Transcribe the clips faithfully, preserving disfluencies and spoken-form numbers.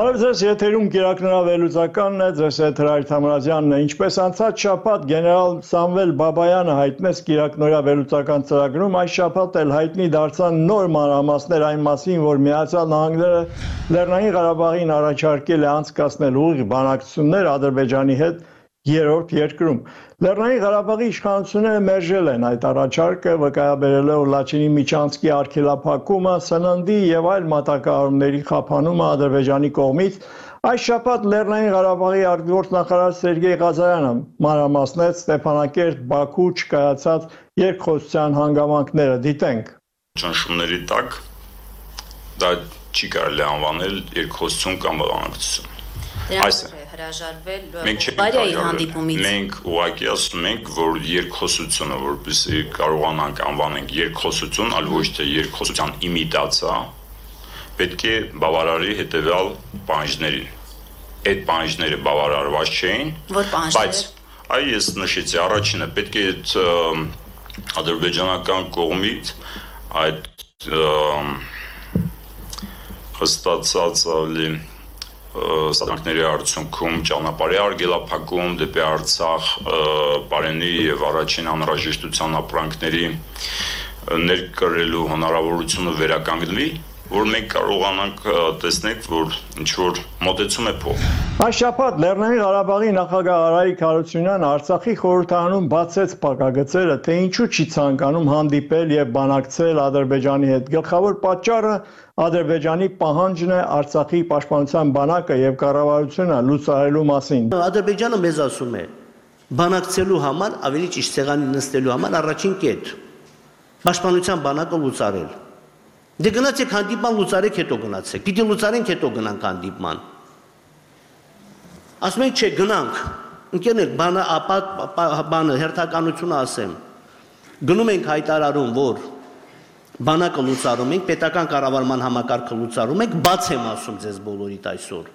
Բարև ձեզ, եթերում կիրակնորավելուծականն է, ձեզ հետ Հրայր Թամրազյանն է, ինչպես անցած շաբաթ գեներալ Սամվել Բաբայանը հայտնեց կիրակնորավելուծական ծրագրում, այս շաբաթ էլ հայտնի դարձան նոր մանրամասներ այն մասին, որ Միացյալ Նահանգները Լեռնային Ղարաբաղին առաջարկել է անցկացնել ուղիղ բանակցություններ Ադրբեջանի հետ երրորդ երկրում։ Լեռնային Ղարաբաղի իշխանությունները մերժել են այդ առաջարկը, վկայաբերելով Լաչինի միջանցքի արգելափակումը, սննդի եւ այլ մատակարարումների խափանումը Ադրբեջանի կողմից։ Այս շաբաթ Լեռնային Ղարաբաղի արտգործնախարար Սերգեյ Ղազարյանը մանրամասնեց Ստեփանակերտ Բաքու չկայացած երկխոսության հանգամանքները։ Դիտենք։ Ճնշումների տակ դա չի կարելի անվանել երկխոսություն կամ բանակցություն։ Այս մենք մենք ուղղակի ասում ենք, որ երկխոսությունը, որպեսզի կարողանանք անվանենք երկխոսություն, այլ ոչ թե երկխոսության իմիտացիա, պետք է բավարարի հետևյալ պահանջներին։ Այդ պահանջները բավարարված չէին, բայց այ ես նշեցի, առաջինը պետք է ադրբեջանական կողմից այդ հստացած ավելի սադրանքների արդյունքում ճանապարհի արգելափակում դեպի Արցախ, Պարենի եւ առաջին անհրաժեշտության ապրանքների ներկրելու հնարավորությունը վերականգնվի, որ մենք կարողանանք տեսնել, որ ինչ-որ մոտեցում է փոխ։ Այս շաբաթ Լեռնային Ղարաբաղի նախագահ Արայիկ Հարությունյանը Արցախի խորհրդարանում բացեց փակագծերը, թե ինչու չի ցանկանում հանդիպել եւ բանակցել Ադրբեջանի հետ։ Գլխավոր պատճառը Ադրբեջանի պահանջն է Արցախի պաշտպանության բանակը եւ կառավարությունը լուծարելու մասին։ Ադրբեջանը մեզ ասում է բանակցելու համար, ավելի ճիշտ սեղանի նստելու համար առաջին կետ պաշտպանության բանակը լուծարել։ Դե գնացեք հանդիպման լուծարեք, հետո գնացեք։ Պիտի լուծարենք, հետո գնանք հանդիպման։ Ասում ենք, չէ, գնանք։ Ընկերներ, բանը ապա բանը հերթականությունը ասեմ։ Գնում ենք հայտարարում, որ բանակը լուծարում ենք, պետական կառավարման համակարգը լուծարում ենք, բաց եմ ասում ձեզ բոլորիդ այսօր։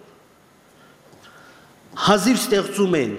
Հազիվ ստեղծում են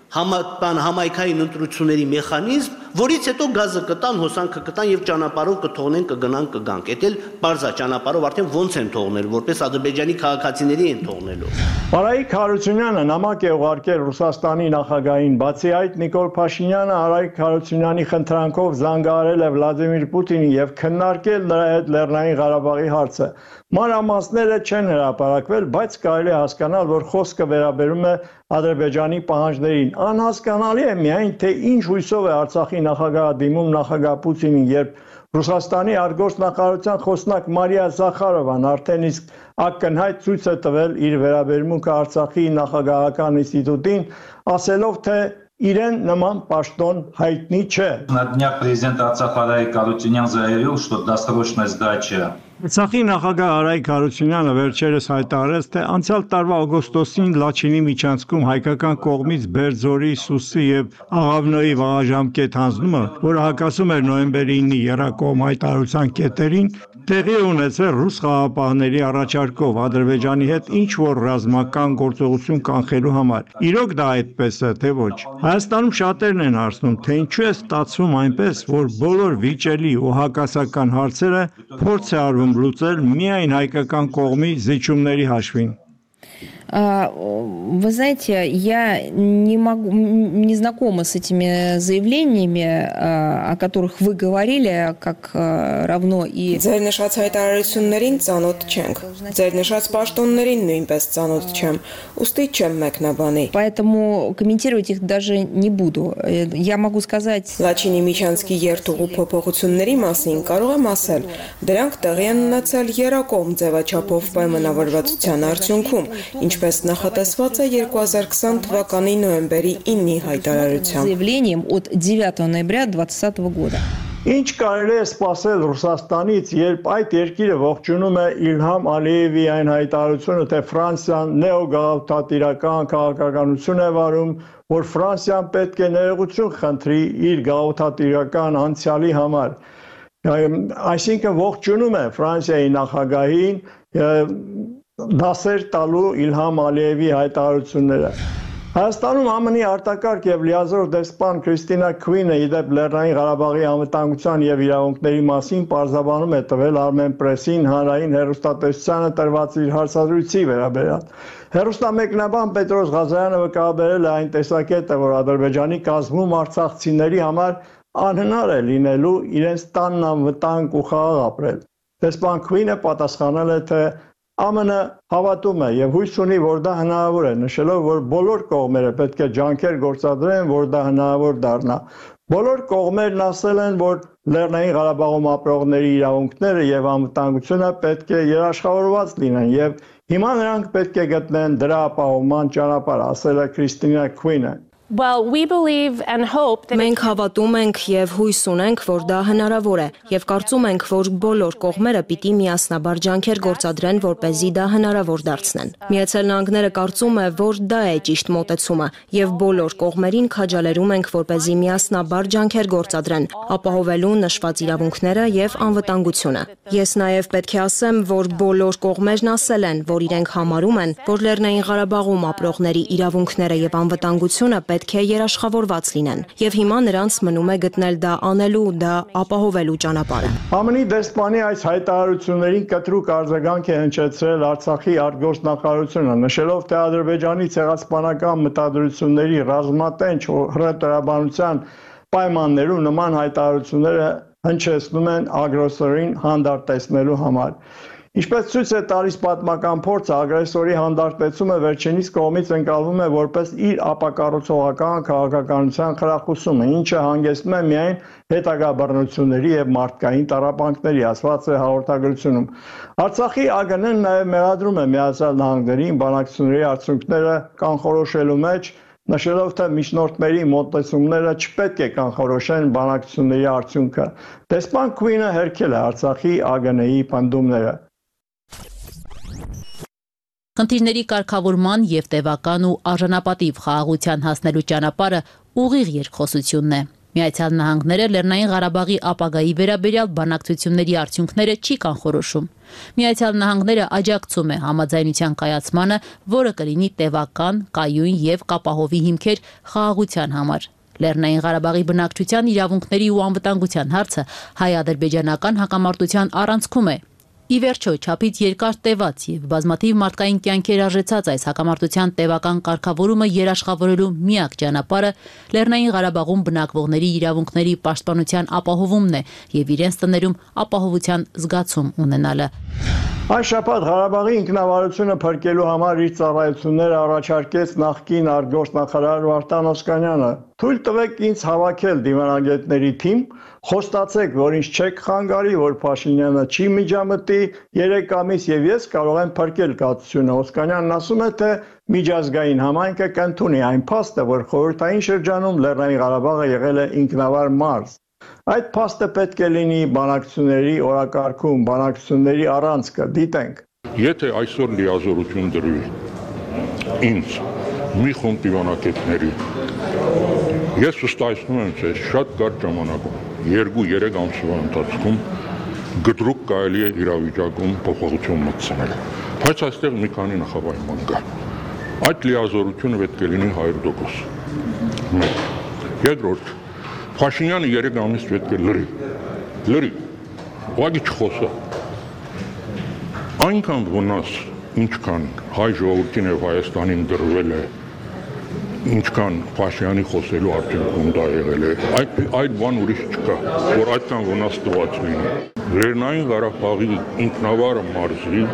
համայնքային ընտրությունների մեխանիզմ, որից հետո գազը կտան, հոսանքը կտան եւ ճանապարհով կթողնեն, կգնան, կգանք։ Էդ էլ բարձա ճանապարհով արդեն ոնց են թողնել, որպես ադրբեջանի քաղաքացիների են թողնելու։ Արայիկ Հարությունյանը նամակ է ուղարկել Ռուսաստանի նախագահին, բացի այդ Նիկոլ Փաշինյանը Արայիկ Հարությունյանի խնդրանքով զանգահարել է Վլադիմիր Պուտինին եւ քննարկել նրա հետ Լեռնային Ղարաբաղի հարցը։ Մանրամասները չեն հրապարակվել, բայց կարելի է հասկանալ, որ խոսքը վերաբերում է Ադրբեջանի պահանջներին։ Անհասկանալի է միայն, թե ինչ հույսով է Արցախի նախագահը դիմում նախագահ Պուտինին, երբ Ռուսաստանի արտգործնախարարության խոսնակ Մարիա Զախարովան արդեն իսկ ակնհայտ ցույց է տվել իր վերաբերմունքը Արցախի նախագահական ինստիտուտին, ասելով, թե իրեն նման պաշտոն հայտնի չէ։ На днях президент Арцаха Арայիկ Հարությունյան заявил, что досрочная сдача Արցախի նախագահ Արայիկ Հարությունյանը վերջերս հայտարարեց, թե անցյալ տարվա օգոստոսին Լաչինի միջանցքում հայկական կողմից Բերձորի, Սուսի եւ Աղավնոյի վաղաժամկետ հանձնումը, որը հակասում էր նոյեմբերի ինի եռակողմ հայտարարության կետերին, տեղի ունեցել ռուս խաղաղապահների առաջարկով Ադրբեջանի հետ ինչ-որ ռազմական գործողություն կանխելու համար։ Իրոք դա այդպես է, թե ոչ։ Հայաստանում շատերն են հարցնում, թե ինչու է ստացվում այնպես, որ բոլոր վիճելի ու հակասական հարցերը փորձ է արվում լուծել միայն հայկական կողմի զիջումների հաշվին։ Вы знаете, я не могу, не знакома с этими заявлениями, о которых вы говорили, как равно и... Ձեր նշած հայտարարություններին ծանոթ չենք, ձեր նշած պաշտոններին նույնպես ծանոթ չեմ, ուստի չեմ մեկնաբանի։ Поэтому комментировать их даже не буду. Я могу сказать... Լաչինի միջանցքի երթուղու փոփոխությունների մասին կարող եմ ասել, դրանք տեղի են ունեցել եռակողմ ձևաչափով պայմանավորվածության արդյունքում, ինչպես նախատեսված է երկու հազար քսան թվականի նոյեմբերի ինի հայտարարությամբ։ Заявлением от девятого ноября двадцатого года. Ինչ կարելի է սպասել Ռուսաստանից, երբ այդ երկիրը ողջունում է Իլհամ Ալիևի այն հայտարարությունը, թե Ֆրանսիան նեոգաղութատիրական քաղաքականություն է վարում, որ Ֆրանսիան պետք է ներողություն խնդրի իր գաղութատիրական անցյալի համար։ Այսինքն ողջունում է Ֆրանսիայի նախագահին դասեր տալու Իլհամ Ալիևի հայտարարությունները։ Հայաստանում ԱՄՆ-ի արտակարգ եւ լիազոր դեսպան Քրիստինա Քվինը իդեպ Լեռնային Ղարաբաղի անվտանգության եւ իրավունքների մասին պարզաբանում է տվել Armen Press-ին հանրային հեռուստատեսությանը տրված իր հարցազրույցի վերաբերյալ։ Հեռուստամեկնաբան Պետրոս Ղազարյանը վկայաբերել է այն տեսակետը, որ Ադրբեջանի կազմում արցախցիների համար անհնար է լինելու իրենց տանն անվտանգ ու խաղաղ ապրել։ Դեսպան Քվինը պատասխանել է, թե ԱՄՆ հավատում է եւ հույս ունի, որ դա հնարավոր է, նշելով, որ բոլոր կողմերը պետք է ջանքեր գործադրեն, որ դա հնարավոր դառնա։ Բոլոր կողմերն ասել են, որ Լեռնային Ղարաբաղում ապրողների իրավունքները եւ անվտանգությունը պետք է երաշխավորված լինեն եւ հիմա նրանք պետք է գտնեն դրա ապահովման ճանապարհ, ասել է Քրիստինա Քվինը։ Well, we believe and hope that Մենք հավատում ենք եւ հույս ունենք, որ դա հնարավոր է եւ կարծում ենք, որ բոլոր կողմերը պիտի միասնաբար ջանքեր գործադրեն, որպեսզի դա հնարավոր դարձնեն։ Միացյալ Նահանգները կարծում է, որ դա է ճիշտ մոտեցումը եւ բոլոր կողմերին քաջալերում ենք, որպեսզի միասնաբար ջանքեր գործադրեն, ապահովելու նշված իրավունքները եւ անվտանգությունը։ Ես նաեւ պետք է ասեմ, որ բոլոր կողմերն ասել են, որ իրենք համարում են, որ Լեռնային Ղարաբաղում ապրողների իրավունքները եւ անվտանգությունը պետք է երաշխավորված լինեն եւ հիմա նրանց մնում է գտնել դա անելու, դա ապահովելու ճանապարհը։ ԱՄՆ-ի դեսպանի այս հայտարարություններին կտրուկ արձագանք է հնչեցրել Արցախի արտգործնախարարությունը, նշելով, թե Ադրբեջանի ցեղասպանական մտադրությունների ռազմատենչ հրետորաբանության պայմաններում նման հայտարարությունները հնչեցնում են ագրեսորին հանդարտեցնելու համար։ Ինչպես ցույց է տալիս պատմական փորձը, ագրեսորի հանդարտեցումը վերջինիս կողմից ընկալվում է որպես իր ապակառուցողական քաղաքականության խրախուսումը, ինչը հանգեցնում է միայն հետագա բռնությունների եւ մարդկային տառապանքների, ասված է հաղորդագրությունում։ Արցախի ԱԳՆ-ն նաեւ մեղադրում է Միացյալ Նահանգներին բանակցությունների արդյունքները կանխորոշելու մեջ, նշելով, թե միջնորդների մոտեցումները չպետք է կանխորոշեն բանակցությունների արդյունքը։ Դեսպան Քվինը հերքել է Արցախի ԱԳՆ-ի պնդումները։ Խնդիրների կարգավորման եւ տևական ու արժանապատիվ խաղաղության հասնելու ճանապարհը ուղիղ երկխոսությունն է։ Միացյալ Նահանգները Լեռնային Ղարաբաղի ապագայի վերաբերյալ բանակցությունների արդյունքները չի կանխորոշում։ Միացյալ Նահանգները աջակցում է համաձայնության կայացմանը, որը կլինի տևական, կայուն եւ կապահովի հիմքեր խաղաղության համար։ Լեռնային Ղարաբաղի բնակչության իրավունքների ու անվտանգության հարցը հայ-ադրբեջանական հակամարտության առանցքում է։ Ի վերջո, չափից երկար տևած եւ բազմաթիվ մարդկային կյանքեր արժեցած այս հակամարտության տևական կարգավորումը երաշխավորելու միակ ճանապարհը Լեռնային Ղարաբաղում բնակվողների իրավունքների պաշտպանության ապահովումն է եւ իրենց տներում ապահովության զգացում ունենալը։ Այս շաբաթ Ղարաբաղի ինքնավարությունը փրկելու համար իր ծառայությունները առաջարկեց նախկին արտգործնախարար Վարդան Օսկանյանը։ Թույլ տվեք ինձ հավաքել դիվանագետների թիմ, խոստացեք, որ ինձ չեք խանգարի, որ Փաշինյանը չի միջամտի երեք ամիս եւ ես կարող եմ փրկել կացությունը։ Օսկանյանն ասում է, թե միջազգային համայնքը կընդունի այն փաստը, որ խորհրդային շրջանում Լեռնային Ղարաբաղը եղել է ինքնավար մարզ։ Այդ փաստը պետք է լինի բանակցությունների օրակարգում, բանակցությունների առանցքը, դիտենք։ Եթե այսօր լիազորություն դրվի ինձ մի խումբ դիվանագետների, ես վստահեցնում եմ ձեզ շատ կարճ ժամանակում, երկու-երեք ամսվա ընթացքում գդրուկ կարելի է իրավիճակում փոփոխություն մտցնել։ Բայց այստեղ մի քանի նախապայման կա։ Այդ լիազորությունը պետք է լինի հարյուր տոկոս։ Մեկ։ Երկրորդ, Փաշինյանը երեք ամիս պետք է լրի, լրի, ուղղակի չխոսա։ Այնքան վնաս, ինչքան հայ ժողովրդին եւ Հայաստանին դրվել է, ինչքան Փաշինյանի խոսելու արդյունքում դա եղել է, այդ այդ բան ուրիշ չկա, որ այդքան վնաս տված լինի։ Լեռնային Ղարաբաղի ինքնավար մարզի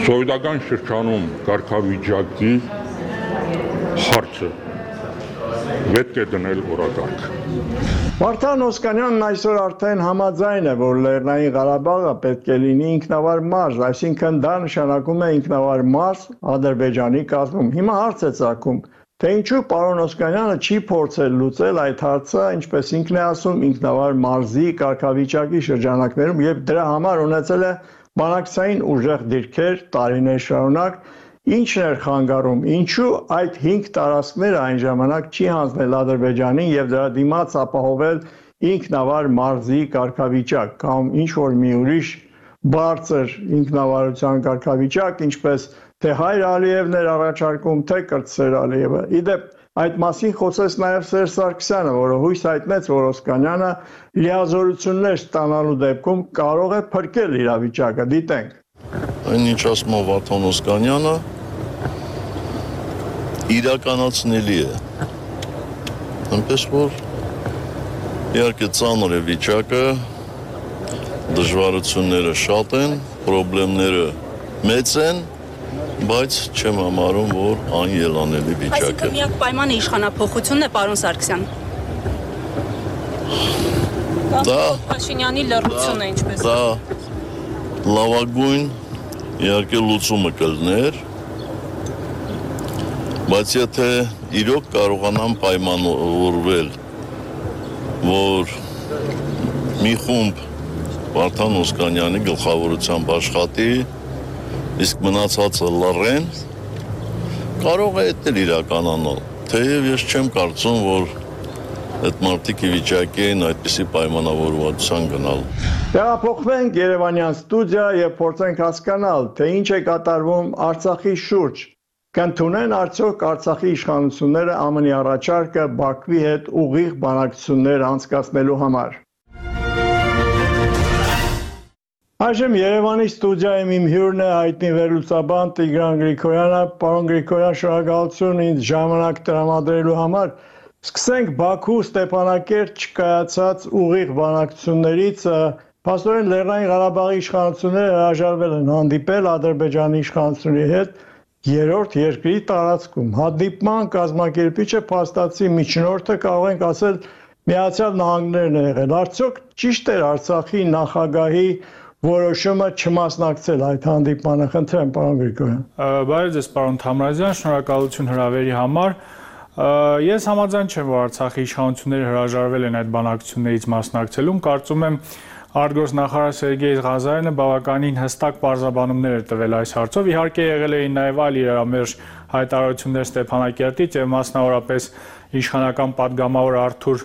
սովետական շրջանում կարգավիճակի հարցը պետք է դնել օրակարգ։ Վարդան Օսկանյանն այսօր արդեն համաձայն է, որ Լեռնային Ղարաբաղը պետք է լինի ինքնավար մարզ, այսինքն դա նշանակում է ինքնավար մարզ Ադրբեջանի կազմում։ Հիմա հարց է ծագում, թե ինչու պարոն Օսկանյանը չի փորձել լուծել այդ հարցը, ինչպես ինքն է ասում, ինքնավար մարզի կարգավիճակի շրջանակներում եւ դրա համար ունեցել է բանակցային ուժեղ դիրքեր տարիներ շարունակ։ Ինչն էր խանգարում, ինչու այդ հինգ տարածքները այն ժամանակ չի հանձնել Ադրբեջանին եւ դրա դիմաց ապահովել ինքնավար մարզի կարգավիճակ կամ ինչ որ մի ուրիշ բարձր ինքնավարության կարգավիճակ, ինչպես թե Հայր Ալիևն էր առաջարկում, թե Կրտսեր Ալիևը։ Իդեպ այդ մասին խոսեց նաև Սերժ Սարգսյանը, որը հույս հայտնեց, որ Օսկանյանը լիազորություններ ստանալու դեպքում կարող է փրկել իրավիճակը, դիտենք։ Այնինչ ասում է Վարդան Օսկանյանը, իրականացնելի է։ Այնպես որ իհարկե ծանր է վիճակը, դժվարությունները շատ են, խնդիրները մեծ են, բայց չեմ համարում, որ անելանելի վիճակ է։ Այսինքն միակ պայմանը իշխանափոխությունն է, պարոն Սարգսյան։ Դա Փաշինյանի լռությունը ինչպես։ Դա լավագույն իհարկե լուծումը կլներ, բայց եթե իրոք կարողանան պայմանավորվել, որ մի խումբ Վարդան Օսկանյանի գլխավորությամբ աշխատի, իսկ մնացածը լռեն, կարող է դա իրականանալ։ Թեև ես չեմ կարծում, որ այդ մարդիկ ի վիճակի են այդպիսի պայմանավորվածության գնալ։ Տեղափոխվենք Երևանյան ստուդիա եւ փորձենք հասկանալ, թե ինչ է կատարվում Արցախի շուրջ։ Կընդունեն արդյոք Արցախի իշխանությունները ԱՄՆ-ի առաջարկը Բաքվի հետ ուղիղ բանակցություններ անցկացնելու համար։ Այժմ Երևանի ստուդիայում իմ հյուրն է հայտնի վերլուծաբան Տիգրան Գրիգորյանը։ Պարոն Գրիգորյան, շնորհակալություն ինձ ժամանակ տրամադրելու համար։ Սկսենք Բաքու Ստեփանակերտ չկայացած ուղիղ բանակցություններից։ Փաստորեն Լեռնային Ղարաբաղի իշխանությունները հրաժարվել են հանդիպել Ադրբեջանի իշխանությունների հետ երրորդ երկրի տարածքում։ Հանդիպման կազմակերպիչը փաստացի միջնորդը կարող ենք ասել Միացյալ Նահանգներն է եղել։ Արդյոք ճիշտ էր Արցախի նախագահի որոշումը չմասնակցել այդ հանդիպմանը։ Խնդրեմ, պարոն Գրիգորյան։ Բարև ձեզ, պարոն Թամրազյան, շնորհակալություն հրավերի համար։ Ես համաձայն չեմ, որ Արցախի իշխանությունները հրաժարվել են այդ բանակցություններից մասնակցելուն։ Կարծում եմ, արտգործնախարար Սերգեյ Ղազարյանը բավականին հստակ պարզաբանումներ էր տվել այս հարցով։ Իհարկե եղել էին նաև այլ իրարամերժ հայտարարություններ Ստեփանակերտից եւ մասնավորապես իշխանական պատգամավոր Արթուր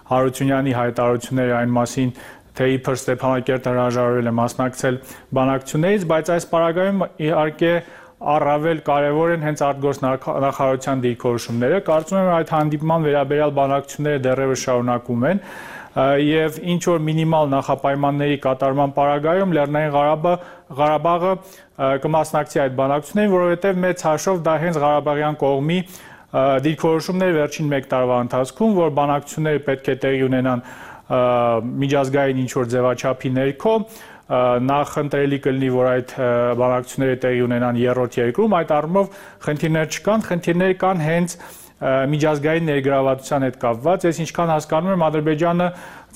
Հարությունյանի հայտարարությունները այն մասին, թե իբր Ստեփանակերտը հրաժարվել է մասնակցել բանակցություններից, բայց այս պարագայում իհարկե առավել կարևոր են հենց արտգործնախարարության դիրքորոշումները։ Կարծում եմ այդ հանդիպման վերաբերյալ բանակցությունները դեռևս շարունակվում են եւ ինչ որ մինիմալ նախապայմանների կատարման պարագայում Լեռնային Ղարաբաղը կմասնակցի այդ բանակցություններին, որովհետեւ մեծ հաշվով դա հենց Ղարաբաղյան կողմի դիրքորոշումներ վերջին մեկ տարվա ընթացքում, որ բանակցությունները պետք է տեղի ունենան միջազգային ինչ-որ ձևաչափի ներքո, նախ ընտրելի կլինի, որ այդ բանակցությունները տեղի ունենան երրորդ երկրում, այդ առումով խնդիրներ չկան, խնդիրներ կան հենց միջազգային ներգրավվածության հետ կապված։ Ես ինչքան հասկանում եմ, Ադրբեջանը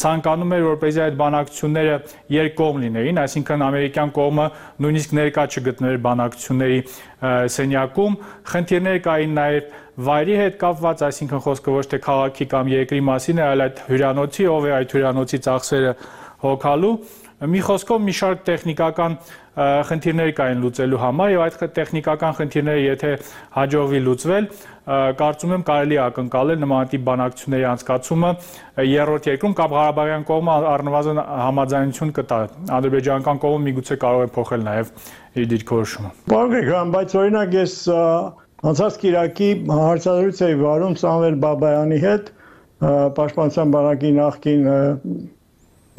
ցանկանում էր, որպեսզի այդ բանակցությունները երկկողմ լինեին, այսինքն ամերիկյան կողմը նույնիսկ ներկա չգտնվեր բանակցությունների սենյակում։ Խնդիրներ կային նաև վայրի հետ կապված, այսինքն խոսքը ոչ թե քաղաքի կամ երկրի մասին է, այլ այդ հյուրանոցի, ով է այդ հյուրանոցի ծախսերը հոգալու։ Մի խոսքով մի շարք տեխնիկական խնդիրներ կային լուծելու համար եւ այդ տեխնիկական խնդիրները եթե հաջողվի լուծվել, կարծում եմ կարելի է ակնկալել նմանատիպ բանակցությունների անցկացումը երրորդ երկրում կամ Ղարաբաղյան կողմը առնվազն համաձայնություն կտա։ Ադրբեջանական կողմը միգուցե կարող է փոխել նաեւ իր դիրքորոշումը։ Պարոն Գրիգորյան, բայց օրինակ ես անցած կիրակի հարցազրույց էի վարում Սամվել Բաբայանի հետ, Պաշտպանության բանակի նախկին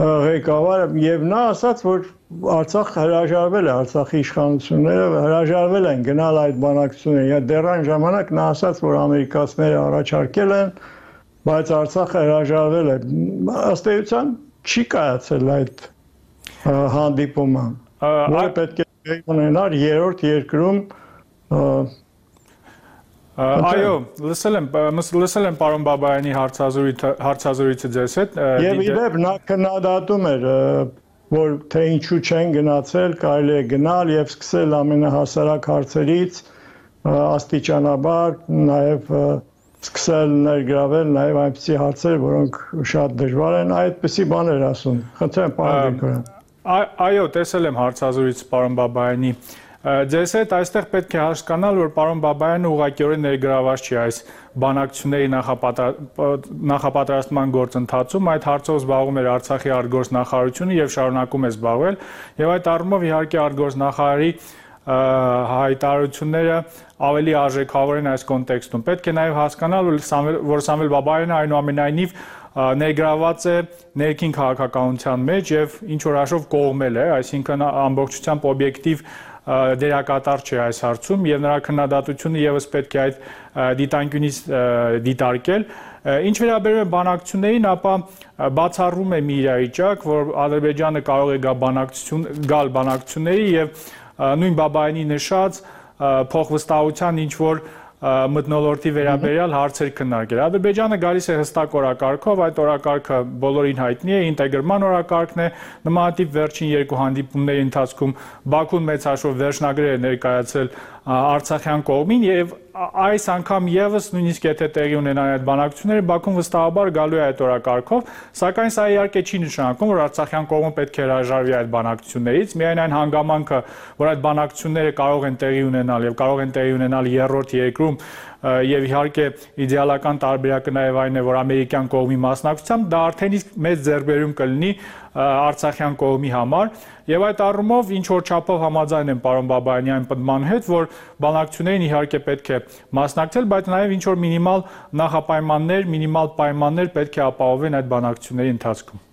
ղեկավարը, եւ նա ասաց, որ Արցախ հրաժարվել է, Արցախի իշխանությունները հրաժարվել են գնալ այդ բանակցություններին։ Դեռ այն ժամանակ նա ասաց, որ ամերիկացիները առաջարկել են, բայց Արցախը հրաժարվել է։ Ըստ էության չի կայացել այդ հանդիպումը, որը պետք է ունենար երրորդ երկրում։ Այո, լսել եմ, լսել եմ պարոն Բաբայանի հարցազրույցը ձեզ հետ։ Եվ իդեպ նա քննադատում էր, որ թե ինչու չեն գնացել, կարելի է գնալ եւ սկսել ամենահասարակ հարցերից աստիճանաբար, նաեւ սկսել ներգրավել նաեւ այնպիսի հարցեր, որոնք շատ դժվար են, այդպիսի բաներ ասում։ Խնդրեմ, պարոն Գրիգորյան։ Այո, տեսել եմ հարցազրույց պարոն Բաբայանի։ Ձեզ հետ այստեղ պետք է հասկանալ, որ պարոն Բաբայանը ուղղակիորեն ներգրաված չի այս բանակցությունների նախապատրաստման գործընթացում, այդ հարցով զբաղվում էր Արցախի արտգործնախարարությունը եւ շարունակում է զբաղվել, եւ այդ առումով իհարկե արտգործնախարարի հայտարարությունները ավելի արժեքավոր են այս կոնտեքստում։ Պետք է նաև հասկանալ, որ Սամվել Բաբայանը այնուամենայնիվ ներգրաված է ներքին քաղաքականության մեջ եւ ինչ որ հաշվով կողմել է, այսինքն ամբողջությամբ օբյեկտիվ դերակատար չէ այս հարցում եւ նրա քննադատությունը եւս պետք է այդ դիտանկյունից դիտարկել։ Ինչ վերաբերում է բանակցություններին, ապա բացառում է մի իրավիճակ, որ Ադրբեջանը կարող է գա բանակցություն գալ բանակցությունների եւ նույն Բաբայանի նշած փոխվստահության ինչ որ մթնոլորտի վերաբերյալ հարցեր քննարկել։ Ադրբեջանը գալիս է հստակ օրակարգով, այդ օրակարգը բոլորին հայտնի է, ինտեգրման օրակարգն է, նմանատիպ վերջին երկու հանդիպումների ընթացքում Բաքուն մեծ հաշվով վերջնագրեր է ներկայացրել Արցախյան կողմին եւ այս անգամ եւս նույնիսկ եթե տեղի ունենան այդ բանակցությունները, Բաքուն վստահաբար գալու է այդ օրակարգով, սակայն սա իհարկե չի նշանակում, որ Արցախյան կողմը պետք է հրաժարվի այդ բանակցություններից, միայն այն հանգամանքը, որ այդ բանակցությունները կարող են տեղի ունենալ եւ կարող են տեղի ունենալ երրորդ երկրում եւ իհարկե իդեալական տարբերակը նաեւ այն է, որ ամերիկյան կողմի մասնակցությամբ դա արդեն իսկ մեծ ձեռքբերում կլինի Արցախյան կողմի համար եւ այդ առումով ինչ որ չափով համաձայն եմ պարոն Բաբայանի այն պնդման հետ, որ բանակցություններին իհարկե պետք է մասնակցել, բայց նաեւ ինչ որ մինիմալ նախապայմաններ, մինիմալ պայմաններ պետք է ապահովեն այդ բանակցությունների ընթացքում։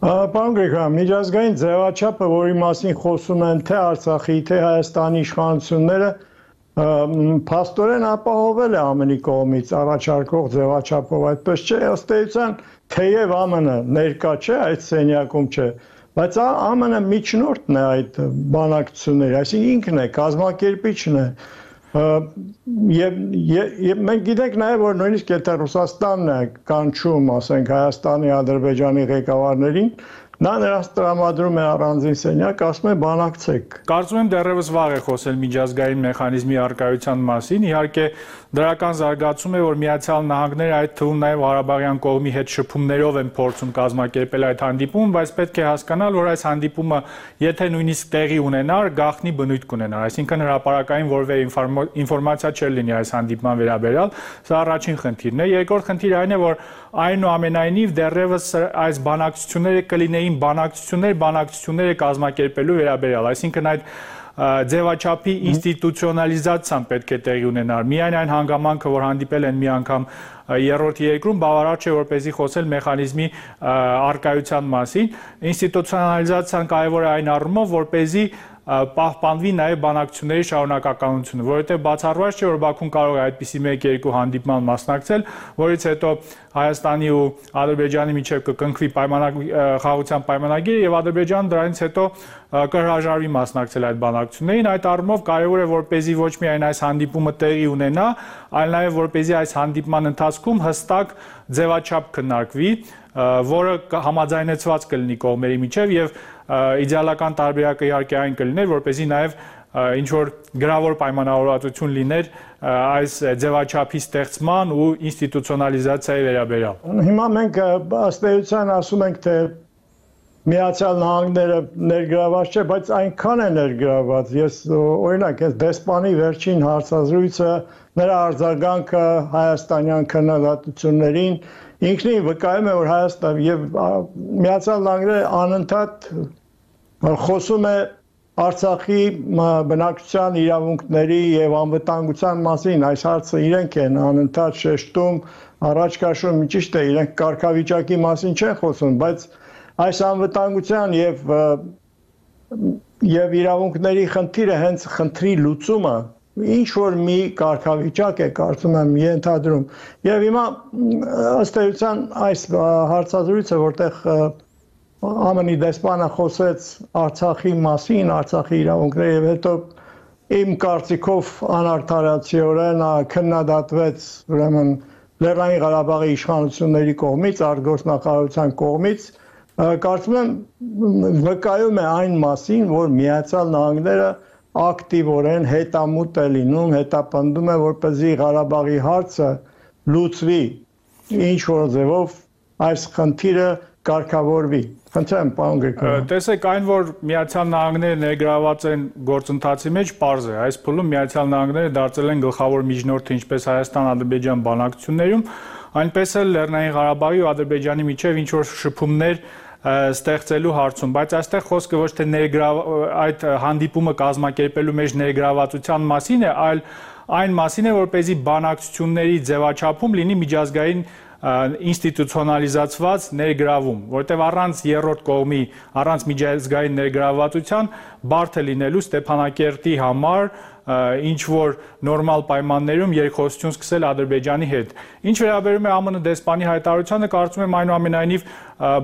Պարոն Գրիգորյան, միջազգային ձևաչափը, որի մասին խոսում են թե Արցախի, թե Հայաստանի իշխանությունները, փաստորեն ապահովել է ԱՄՆ-ի կողմից առաջարկող ձևաչափով, այդպես չէ, ըստ էության թեև ԱՄՆ-ը ներկա չէ, այդ սենյակում չէ, բայց ԱՄՆ-ը միջնորդն է այդ բանակցությունների, այսինքն ինքն է, կազմակերպիչն է, եւ մենք գիտենք նաեւ, որ նույնիսկ եթե Ռուսաստանն է կանչում, ասենք Հայաստանի, Ադրբեջանի ղեկավարներին, նա նրանց տրամադրում է առանձին սենյակ, ասում է բանակցեք։ Կարծում եմ դեռևս վաղ է խոսել միջազգային մեխանիզմի առկայության մասին, իհարկե դրական զարգացում է, որ Միացյալ Նահանգները այդ թվում նաև Ղարաբաղյան կողմի հետ շփումներով են փորձում կազմակերպել այդ հանդիպումը, բայց պետք է հասկանալ, որ այս հանդիպումը, եթե նույնիսկ տեղի ունենար, գաղտնի բնույթ կունենար, այսինքն հրապարակային որևէ ինֆորմացիա չէր լինի այս հանդիպման վերաբերյալ, սա առաջին խնդիրն է, երկրորդ խնդիրը այն է, որ այնուամենայնիվ դեռևս այս բանակցությունները կլինեին բանակցություններ, բանակցությունները կազմակերպելու վերաբերյալ, այսինքն այդ ձևաչափի ինստիտուցիոնալիզացիան պետք է տեղի ունենար։ Միայն այն հանգամանքը, որ հանդիպել են մի անգամ երրորդ երկրում, բավարար չէ, որպեսզի խոսել մեխանիզմի առկայության մասին։ Ինստիտուցիոնալիզացիան կարևոր է այն առումով, որպեսզի պահպանվի նաև բանակցությունների շարունակականությունը, որովհետև բացառված չէ, որ Բաքուն կարող է այդպիսի մեկ-երկու հանդիպման մասնակցել, որից հետո Հայաստանի ու Ադրբեջանի միջև կկնքվի խաղաղության պայմանագիրը եւ Ադրբեջանը դրանից հետո կհրաժարվի մասնակցել այդ բանակցություններին։ Այդ առումով կարևոր է, որպեսզի ոչ միայն այս հանդիպումը տեղի ունենա, այլ նաև որպեսզի այս հանդիպման ընթացքում հստակ ձևաչափ քննարկվի, որը համաձայնեցված կլինի կողմերի միջև եւ իդեալական տարբերակը իհարկե այն կլիներ, որպեսզի նաև ինչ որ գրավոր պայմանավորվածություն լիներ այս ձևաչափի ստեղծման ու ինստիտուցիոնալիզացիայի վերաբերյալ։ Հիմա մենք ըստ էության ասում ենք, թե Միացյալ Նահանգները ներգրաված չէ, բայց այնքան է ներգրաված։ Ես օրինակ այս դեսպանի վերջին հարցազրույցը, նրա արձագանքը հայաստանյան քննադատություններին ինքնին վկայում է, որ Հայաստան եւ Միացյալ Նահանգները անընդհատ խոսում է Արցախի բնակչության իրավունքների եւ անվտանգության մասին, այս հարցը իրենք են անընդհատ շեշտում, առաջ քաշում, ճիշտ է, իրենք կարգավիճակի մասին չեն խոսում, բայց այս անվտանգության եւ եւ իրավունքների խնդիրը հենց խնդրի լուծումը ինչ որ մի կարգավիճակ է, կարծում եմ, ենթադրում։ Եվ հիմա ըստ էության այս հարցազրույցը, որտեղ ԱՄՆ-ի դեսպանը խոսեց Արցախի մասին, Արցախի իրավունքների եւ հետո իմ կարծիքով անարդարացիորեն քննադատվեց ուրեմն Լեռնային Ղարաբաղի իշխանությունների կողմից, արտգործնախարարության կողմից, կարծում եմ վկայում է այն մասին, որ Միացյալ Նահանգները ակտիվորեն հետամուտ է լինում, հետապնդում է, որպեսզի Ղարաբաղի հարցը լուծվի, ինչ որ ձևով այս խնդիրը կարգավորվի։ Խնդրեմ, պարոն Գրիգորյան։ Տեսեք, այն որ Միացյալ Նահանգները ներգրաված են գործընթացի մեջ, պարզ է։ Այս փուլում Միացյալ Նահանգները դարձել են գլխավոր միջնորդը ինչպես Հայաստան-Ադրբեջան բանակցություններում, այնպես էլ Լեռնային Ղարաբաղի ու Ադրբեջանի միջև ինչ որ շփումներ ստեղծելու հարցում, բայց այստեղ խոսքը ոչ թե այդ հանդիպումը կազմակերպելու մեջ ներգրավվածության մասին է, այլ այն մասին է, որպեսզի բանակցությունների ձևաչափում լինի միջազգային ինստիտուցիոնալիզացված ներգրավում, որտեղ առանց երրորդ կողմի, առանց միջազգային ներգրավվածության բարդ է լինելու Ստեփանակերտի համար ինչ որ նորմալ պայմաններում երկխոսություն սկսել Ադրբեջանի հետ։ Ինչ վերաբերում է ԱՄՆ դեսպանի հայտարարությանը, կարծում եմ այնուամենայնիվ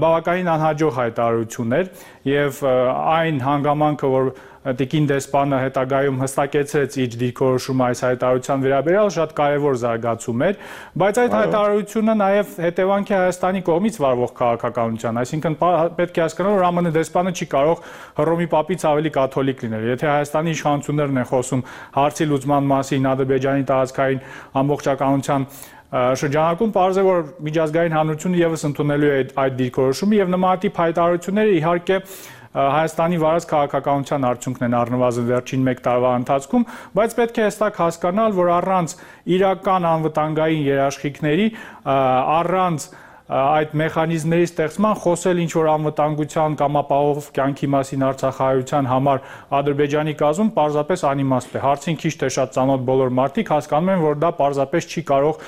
բավականին անհաջող հայտարարություն էր եւ այն հանգամանքը, որ Տիկին դեսպանը հետագայում հստակեցրեց իր դիրքորոշումը այս հայտարարության վերաբերյալ շատ կարևոր զարգացում էր, բայց այդ հայտարարությունը նաև հետևանք է Հայաստանի կողմից վարվող քաղաքականության, այսինքն պետք է հասկանալ, որ ԱՄՆ դեսպանը չի կարող Հռոմի պապից ավելի կաթոլիկ լինել։ Եթե Հայաստանի իշխանություններն են խոսում հարցի լուծման մասին, Ադրբեջանի տարածքային ամբողջականության շրջանակում պարզ է, որ միջազգային հանրությունը եւս ընդունելու է այդ դիրքորոշումը եւ նմանատիպ հայտարարությունները իհարկե Հայաստանի վարած քաղաքականության արդյունքն են առնվազն վերջին մեկ տարվա ընթացքում, բայց պետք է հստակ հասկանալ, որ առանց իրական անվտանգային երաշխիքների, առանց այդ մեխանիզմների ստեղծման խոսել ինչ որ անվտանգության կամ ապահով կյանքի մասին Արցախահայության համար Ադրբեջանի կազմում պարզապես անիմաստ է։ Հարցին քիչ թե շատ ծանոթ բոլոր մարդիկ հասկանում են, որ դա պարզապես չի կարող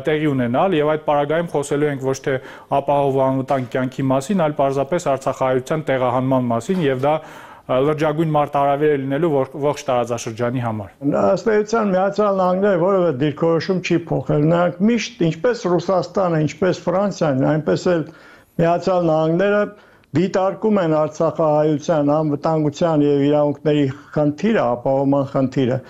տեղի ունենալ եւ այդ պարագայում խոսելու ենք ոչ թե ապահով անվտանգ կյանքի մասին, այլ պարզապես Արցախահայության տեղահանման մասին եւ դա լրջագույն մարտահրավեր է լինելու ողջ տարածաշրջանի համար։ Ըստ էության Միացյալ Նահանգները որևէ դիրքորոշում չի փոխել։ Նրանք միշտ ինչպես Ռուսաստանը, ինչպես Ֆրանսիան, այնպես էլ Միացյալ Նահանգները դիտարկում են Արցախահայության անվտանգության եւ իրավունքների խնդիրը, ապահովման խնդիրը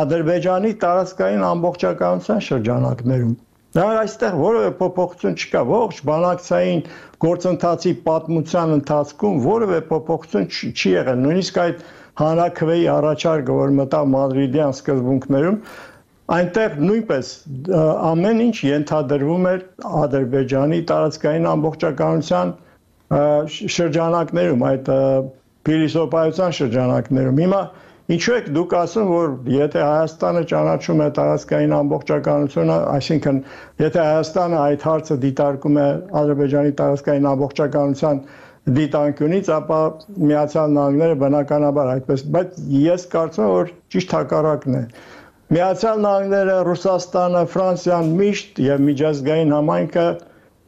Ադրբեջանի տարածքային ամբողջականության շրջանակներում։ Նրանք այստեղ որևէ փոփոխություն չկա, ողջ բանակցային գործընթացի պատմության ընթացքում որևէ փոփոխություն չի եղել, նույնիսկ այդ հանրաքվեի առաջարկը, որ մտավ մադրիդյան սկզբունքներում, այնտեղ նույնպես ամեն ինչ ենթադրվում էր Ադրբեջանի տարածքային ամբողջականության շրջանակներում, այդ փիլիսոփայության շրջանակներում։ Հիմա ինչու եք դուք ասում, որ եթե Հայաստանը ճանաչում է տարածքային ամբողջականությունը, այսինքն եթե Հայաստանը այդ հարցը դիտարկում է Ադրբեջանի տարածքային ամբողջականության դիտանկյունից, ապա Միացյալ Նահանգները բնականաբար այդպես, բայց ես կարծում եմ, որ ճիշտ հակառակն է։ Միացյալ Նահանգները, Ռուսաստանը, Ֆրանսիան միշտ եւ միջազգային համայնքը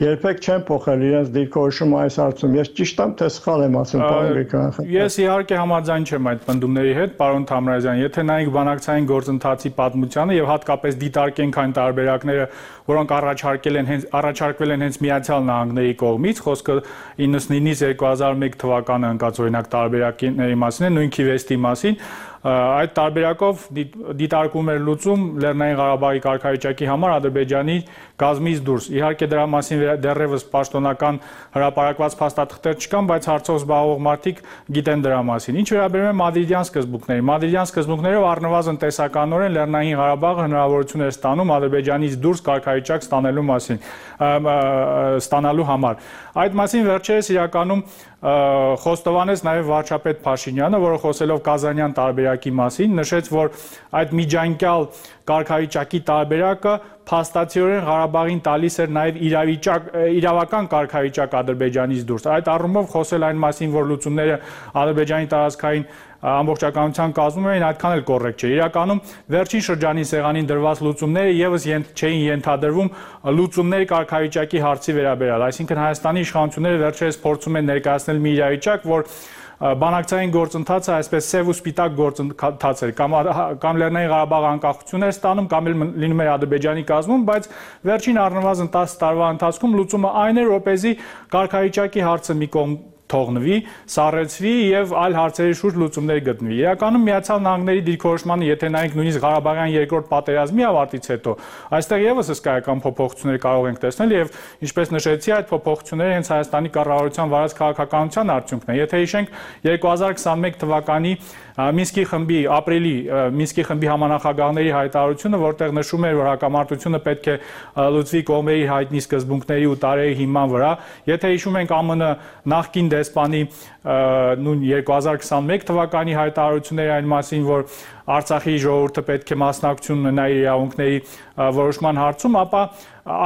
երբեք չեն փոխել իրենց դիրքորոշումը այս հարցում։ Ես ճիշտ եմ, թե սխալ եմ ասում, պարոն Գրիգորյան։ Ես իհարկե համաձայն չեմ այդ պնդումների հետ, պարոն Թամրազյան, եթե նայենք բանակցային գործընթացի պատմությանը եւ հատկապես դիտարկենք այն տարբերակները, որոնք առաջարկել են հենց առաջարկվել են հենց Միացյալ Նահանգների կողմից, խոսքը իննսունինից երկու հազար մեկ թվականը ընկած օրինակ տարբերակների մասին է, նույն Քիվեստի մասին, այդ տարբերակով դիտարկում էր լուծում Լեռնային Ղարաբաղի կարգավիճակի համար Ադրբեջանի կազմից դուրս։ Իհարկե դրա մասին դեռևս պաշտոնական հրապարակված փաստաթղթեր չկան, բայց հարցով զբաղվող մարդիկ գիտեն դրա մասին։ Ինչ վերաբերում է մադրիդյան սկզբունքներին, մադրիդյան սկզբունքներով առնվազն տեսականորեն Լեռնային Ղարաբաղը հնարավորություն էր ստանում Ադրբեջանից դուրս կարգավիճակ ստանալու մասին, ստանալու համար։ Այդ մասին վերջերս իրականում խոստովանեց նաև վարչապետ Փաշինյանը, որը խոսելով Կազանյան տարբերակի մասին, նշեց, որ այդ միջանկյալ կարգավիճակի տարբերակը փաստացիորեն Ղարաբաղին տալիս էր նաև իրավիճակ իրավական կարգավիճակ Ադրբեջանից դուրս։ Այդ առումով խոսել այն մասին, որ լուծումները Ադրբեջանի տարածքային ամբողջականության կազմում էին, այդքան էլ կոռեկտ չէ։ Իրականում վերջին շրջանի սեղանին դրված լուծումները եւս չէին ենթադրվում լուծումների կարգավիճակի հարցի վերաբերյալ, այսինքն Հայաստանի իշխանությունները վերջերս փորձում են ներկայացնել մի իրավիճակ, որ բանակցային գործընթացը այսպես սև ու սպիտակ գործընթաց էր, կամ կամ Լեռնային Ղարաբաղը անկախություն էր ստանում, կամ էլ լինում էր Ադրբեջանի կազմում, բայց վերջին առնվազն տասը տարվա ընթացքում լուծումը այն էր, որպեսզի կարգավիճակի հարցը մի կողմ թողնվի, սառեցվի եւ այլ հարցերի շուրջ լուծումներ գտնվի։ Իրականում Միացյալ Նահանգների դիրքորոշմանը, եթե նայենք նույնիսկ Ղարաբաղյան երկրորդ պատերազմի ավարտից հետո, այստեղ եւս հսկայական փոփոխություններ կարող ենք տեսնել եւ ինչպես նշեցի, այդ փոփոխությունները հենց Հայաստանի կառավարության վարած քաղաքականության արդյունքն է։ Եթե հիշենք երկու հազար քսաներեք թվականի Մինսկի խմբի ապրիլի Մինսկի խմբի համանախագահների հայտարարությունը, որտեղ նշում էր, որ հակամարտությունը պետք է լուծվի կողմերի հայտնի սկզբունքների ու տարերի հիման վրա, եթե հիշում ենք ԱՄՆ նախկին դեսպանի նույն երկու հազար քսաներեք թվականի հայտարարությունների այն մասին, որ Արցախի ժողովուրդը պետք է մասնակցություն ունենա իր իրավունքների որոշման հարցում, ապա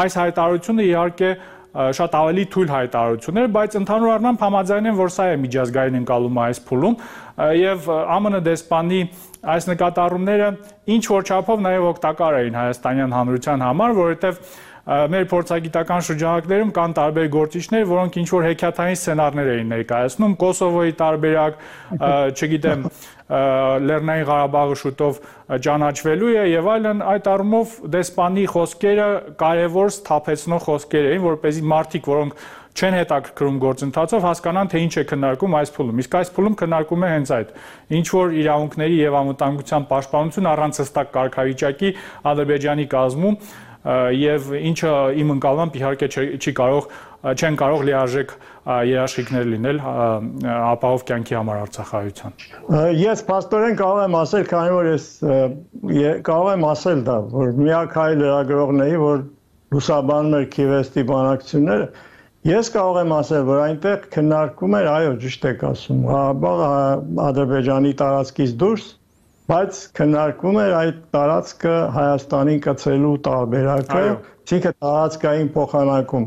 այս հայտարարությունը իհարկե շատ ավելի թույլ հայտարարություններ, բայց ընդհանուր առմամբ համաձայն եմ, որ սա է միջազգային ընկալումը այս փուլում եւ ԱՄՆ դեսպանի այս նկատառումները ինչ որ չափով նաեւ օգտակար էին հայաստանյան հանրության համար, որովհետեւ մեր փորձագիտական շրջանակներում կան տարբեր գործիչներ, որոնք ինչ որ հեքիաթային սցենարներ էին ներկայացնում, Կոսովոյի տարբերակ, չգիտեմ, Լեռնային Ղարաբաղը շուտով ճանաչվելու է եւ այլն, այդ առումով դեսպանի խոսքերը կարեւոր սթափեցնող խոսքեր էին, որպեսզի մարդիկ, որոնք չեն հետաքրքրում գործընթացով, հասկանան, թե ինչ է քննարկում այս փուլում։ Իսկ այս փուլում քննարկում է հենց այդ. ինչ որ իրավունքների եւ անվտանգության պաշտպանություն առանց հստակ կարգավիճակի Ադրբեջանի կազմում եւ ինչը իմ ընկալմամբ իհարկե չի կարող չեն կարող լիարժեք երաշխիքներ լինել ապահով կյանքի համար Արցախայցյան։ Ես փաստորեն կարող եմ ասել, քանի որ ես կարող եմ ասել դա, որ միակ հայ լրագրողների, որ լուսաբանում էր Քիվեստի բանակցությունները, ես կարող եմ ասել, որ այնտեղ քննարկում էր, այո, ճիշտ եք ասում, Ղարաբաղը Ադրբեջանի տարածքից դուրս, բայց քննարկվում էր այդ տարածքը Հայաստանին կցելու տարբերակը, այսինքն տարածքային փոխանակում,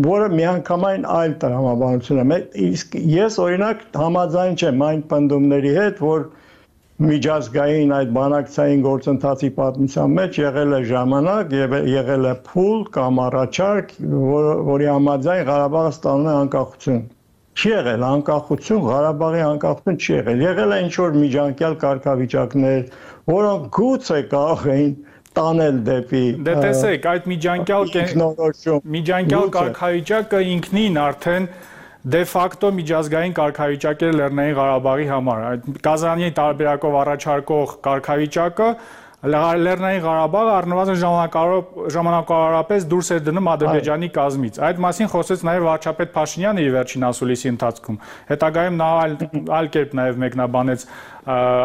որը միանգամայն այլ տրամաբանություն է։ Իսկ ես օրինակ համաձայն չեմ այն պնդումների հետ, որ միջազգային այդ բանակցային գործընթացի պատմության մեջ եղել է ժամանակ, եղել է փուլ կամ առաջարկ, որի համաձայն Ղարաբաղը ստանում է անկախություն։ Չի եղել անկախություն, Ղարաբաղի անկախություն չի եղել։ Եղել է ինչ-որ միջանկյալ կարգավիճակներ, որոնք գուցե կարող էին տանել դեպի Դե տեսեք, այդ միջանկյալ միջանկյալ կարգավիճակը ինքնին արդեն դե ֆակտո միջազգային կարգավիճակ է Լեռնային Ղարաբաղի համար։ Այդ Կազանի տարբերակով առաջարկող կարգավիճակը Լեռնային Ղարաբաղը առնվազն ժամանակավորապես դուրս էր դնում Ադրբեջանի կազմից։ Այդ մասին խոսեց նաև վարչապետ Փաշինյանը իր վերջին ասուլիսի ընթացքում։ Հետագայում նա այլ կերպ նաև մեկնաբանեց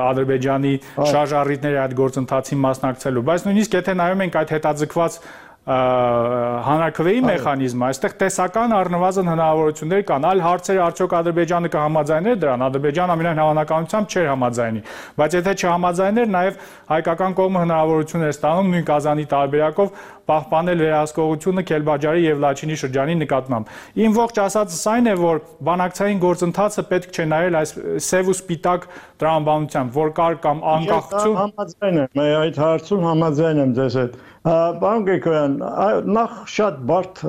Ադրբեջանի շարժառիթների այդ գործընթացի մասնակցելու։ Բայց նույնիսկ եթե նայում ենք այդ հետաձգված հանրաքվեի մեխանիզմը, այստեղ տեսական առնվազն հնարավորություններ կան, այլ հարցեր արդյոք Ադրբեջանը կհամաձայներ դրան, Ադրբեջանը ամենայն հավանականությամբ չէր համաձայնի, բայց եթե չհամաձայներ, նաև հայկական կողմը հնարավորություն էր ստանում նույն Կազանի տարբերակով պահպանել վերահսկողությունը Քելբաջարի եւ Լաչինի շրջանի նկատմամբ։ Իմ ողջ ասածս այն է, որ բանակցային գործընթացը պետք չէ նայել այս սև ու սպիտակ տրամաբանությամբ, որ կար կամ անկախություն։ Համաձայն եմ, այդ հարցում համաձայն եմ ձեզ հետ։ Պարոն Գրիգորյան, նախ շատ բարդ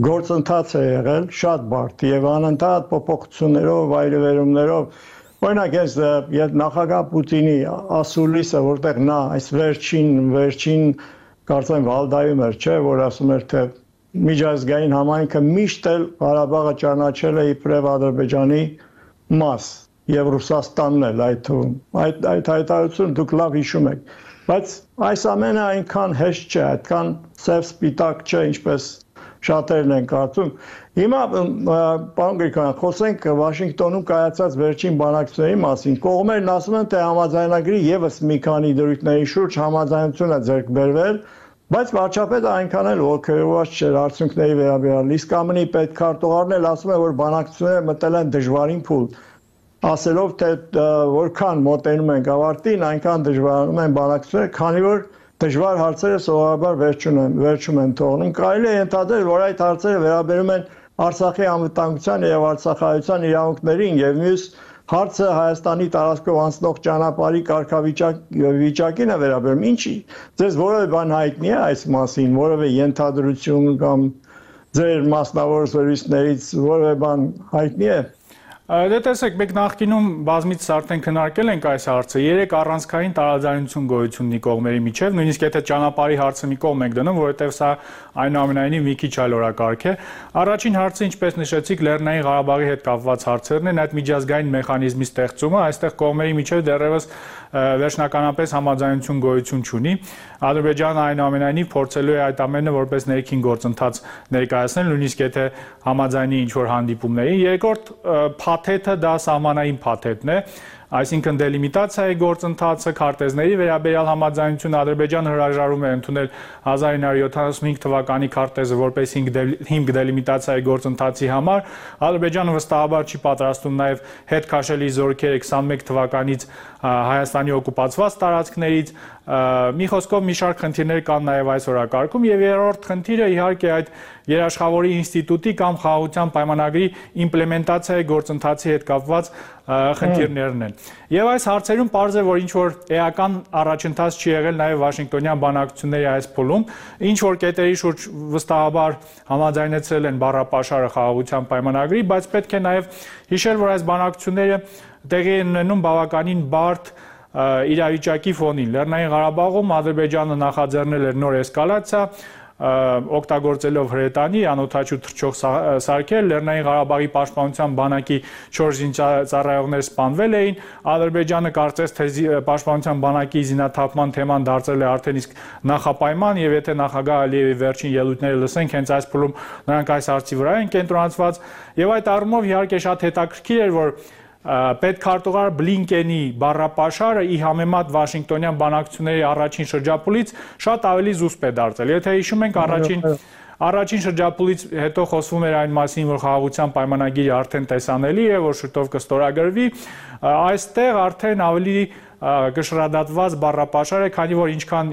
գործընթաց է եղել, շատ բարդ եւ անընդհատ փոփոխություններով, վայրեվերումներով։ Օրինակ ես նախագահ Պուտինի ասուլիսը, որտեղ նա այս վերջին վերջին կարծեմ Վալդայում էր, չէ, որ ասում էր, թե միջազգային համայնքը միշտ էլ Ղարաբաղը ճանաչել է իբրև Ադրբեջանի մաս եւ Ռուսաստանն էլ այդ թվում։ Այդ այդ հայտարարությունը դուք լավ հիշում եք։ Բայց այս ամենը այնքան հեշտ չէ, այդքան սև սպիտակ չէ, ինչպես շատերն են կարծում։ Հիմա պարոն Գրիգորյան, խոսենք Վաշինգտոնում կայացած վերջին բանակցությունների մասին։ Կողմերն ասում են, թե համաձայնագրի եւս մի քանի դրույթների շուրջ համաձայնություն է ձեռք բերվել, բայց վարչապետը այնքան էլ ողջերված չէր արդյունքների վերաբերյալ։ Իսկ ԱՄՆ-ի պետքարտուղարն էլ ասում է, որ բանակցությունները մտել են դժվարին փուլ, ասելով, թե որքան մոտենում ենք ավարտին, այնքան դժվարանում են բանակցությունները, քանի որ դժվար հարցերը սովորաբար վերջում են թողնում։ Կարելի է ենթադրել, որ այդ հարցերը վերաբերում են Արցախի անվտանգության եւ արցախայցյան իրավունքներին եւ մյուս հարցը Հայաստանի տարածքով անցնող ճանապարհի կարգավիճակին է վերաբերում։ Ինչի՞ ձեզ որևէ բան հայտնի է այս մասին, որևէ ենթադրություն կամ ձեր մասնավոր զրույցներից որևէ բան հայտնի է։ Դե տեսեք, մենք նախկինում բազմից արդեն քննարկել ենք այս հարցը, երեք առանցքային տարաձայնություն գոյություն ունի կողմերի միջև, նույնիսկ եթե ճանապարհի հարցը մի կողմ ենք դնում, որովհետև սա այնուամենայնիվ մի քիչ այլ օրակարգ է։ Առաջին հարցը, ինչպես նշեցիք, Լեռնային Ղարաբաղի հետ կապված հարցերն են, այդ միջազգային մեխանիզմի ստեղծումը, այստեղ կողմերի միջև դեռևս վերջնականապես համաձայնություն գոյություն չունի։ Ադրբեջանը այնուամենայնիվ փորձելու է այդ ամենը որպես ներքին գործընթաց ներկայացնել, նույնիսկ եթե համաձայնի ինչ-որ հանդիպումների։ Երկրորդ փաթեթը դա սահմանային փաթեթն է, այսինքն դելիմիտացիայի գործընթացը, քարտեզների վերաբերյալ համաձայնություն Ադրբեջանը հրաժարվում է ընդունել հազար ինը հարյուր յոթանասունհինգ թվականի քարտեզը որպես հիմք դելիմիտացիայի գործընթացի համար։ Ադրբեջանը վստահաբար չի պատրաստում նաև հետ քաշելի զորքերը քսանմեկ թվականից Հայաստանի օկուպացված տարածքներից, Մի խոսքով մի շարք խնդիրներ կան նաև այս օրակարգում եւ երրորդ խնդիրը իհարկե այդ երաշխավորի ինստիտուտի կամ խաղաղության պայմանագրի իմպլեմենտացիայի գործընթացի հետ կապված խնդիրներն են։ Եվ այս հարցերում պարզ է, որ ինչ որ էական առաջընթաց չի եղել նաև Վաշինգտոնյան բանակցությունների այս փուլում, ինչ որ կետերի շուրջ վստահաբար համաձայնեցրել են բառապաշարը խաղաղության պայմանագրի, բայց պետք է նաև հիշել, որ այս բանակցությունները տեղի են ունենում բավականին բարդ իրավիճակի ֆոնին։ Լեռնային Ղարաբաղում Ադրբեջանը նախաձեռնել էր նոր էսկալացիա, օգտագործելով հրետանի, անօդաչու թռչող սարքեր, Լեռնային Ղարաբաղի պաշտպանության բանակի չորս զինծառայողներ սպանվել էին, Ադրբեջանը կարծես թե պաշտպանության բանակի զինաթափման թեման դարձել է արդեն իսկ նախապայման, եւ եթե նախագահ Ալիևի վերջին ելույթները լսենք, հենց այս փուլում նրանք այս հարցի վրա են կենտրոնացված, եւ այդ առումով իհարկե շատ հետաքրքիր էր, որ պետքարտուղար Բլինկենի բառապաշարը ի համեմատ Վաշինգտոնյան բանակցությունների առաջին շրջափուլից շատ ավելի զուսպ է դարձել։ Եթե հիշում ենք առաջին առաջին շրջափուլից հետո խոսվում էր այն մասին, որ խաղաղության պայմանագիրը արդեն տեսանելի է, որ շուտով կստորագրվի, այստեղ արդեն ավելի կշռադատված բառապաշար է, քանի որ ինչքան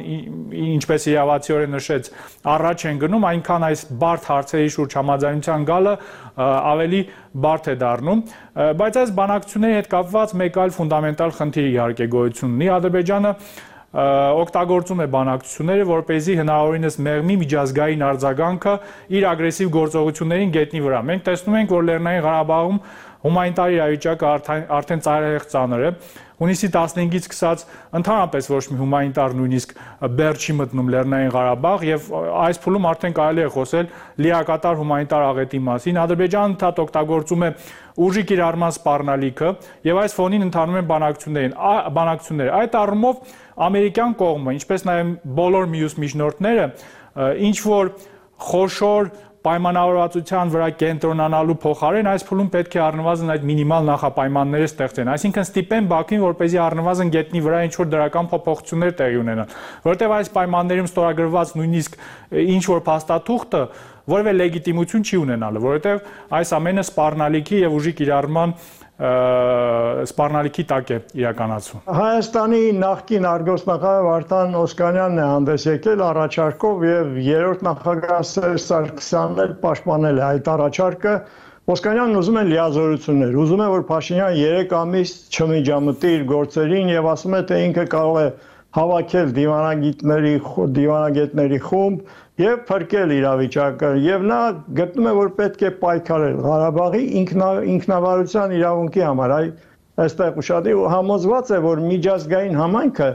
ինչպես իրավացիորեն նշեց, առաջ են գնում, այնքան այս բարդ հարցերի շուրջ համաձայնության գալը ավելի բարդ է դառնում, բայց այս բանակցությունների հետ կապված մեկ այլ ֆունդամենտալ խնդիր իհարկե գոյություն ունի։ Ադրբեջանը օգտագործում է բանակցությունները, որպեսզի հնարավորինս մեղմի միջազգային արձագանքը իր ագրեսիվ գործողություններին գետնի վրա։ Մենք տեսնում ենք, որ Լեռնային Ղարաբաղում հումանիտար իրավիճակը արդեն ծայրահեղ ծանր է։ Հունիսի տասնհինգից սկսած ընդհանրապես ոչ մի հումանիտար նույնիսկ բեռ չի մտնում Լեռնային Ղարաբաղ եւ այս փուլում արդեն կարելի է խոսել լիակատար հումանիտար աղետի մասին։ Ադրբեջանը ընդհանուր օգտագործում է ուժի կիրառման սպառնալիքը եւ այս ֆոնին ընթանում են բանակցություններին, բանակցությունները։ Այդ առումով ամերիկյան կողմը, ինչպես նաեւ բոլոր մյուս միջնորդները, ինչ որ խոշոր պայմանավորվածության վրա կենտրոնանալու փոխարեն այս փուլում պետք է առնվազն այդ մինիմալ նախապայմանները ստեղծեն, այսինքն ստիպեն Բաքվին, որպեսզի առնվազն գետնի վրա ինչ որ դրական փոփոխություններ տեղի ունենան, որովհետև այս պայմաններում ստորագրված նույնիսկ ինչ որ փաստաթուղթը որևէ լեգիտիմություն չի ունենալու, որովհետև այս ամենը սպառնալիքի եւ ուժի կիրառման սպառնալիքի տակ է իրականացվում։ Հայաստանի նախկին արտգործնախարար Վարդան Օսկանյանն է հանդես եկել առաջարկով եւ երրորդ նախագահ Սերժ Սարգսյանն էլ պաշտպանել է այդ առաջարկը։ Օսկանյանն ուզում է լիազորություններ, ուզում է որ Փաշինյան երեք ամիս չմիջամտի իր գործերին եւ ասում է թե ինքը կարող է հավաքել դիվանագետների դիվանագետների խումբ եւ փրկել իրավիճակը եւ նա գտնում է որ պետք է պայքարել Ղարաբաղի ինքնավարության իրավունքի համար։ Այ այստեղ ուշադրի համոզված է որ միջազգային համայնքը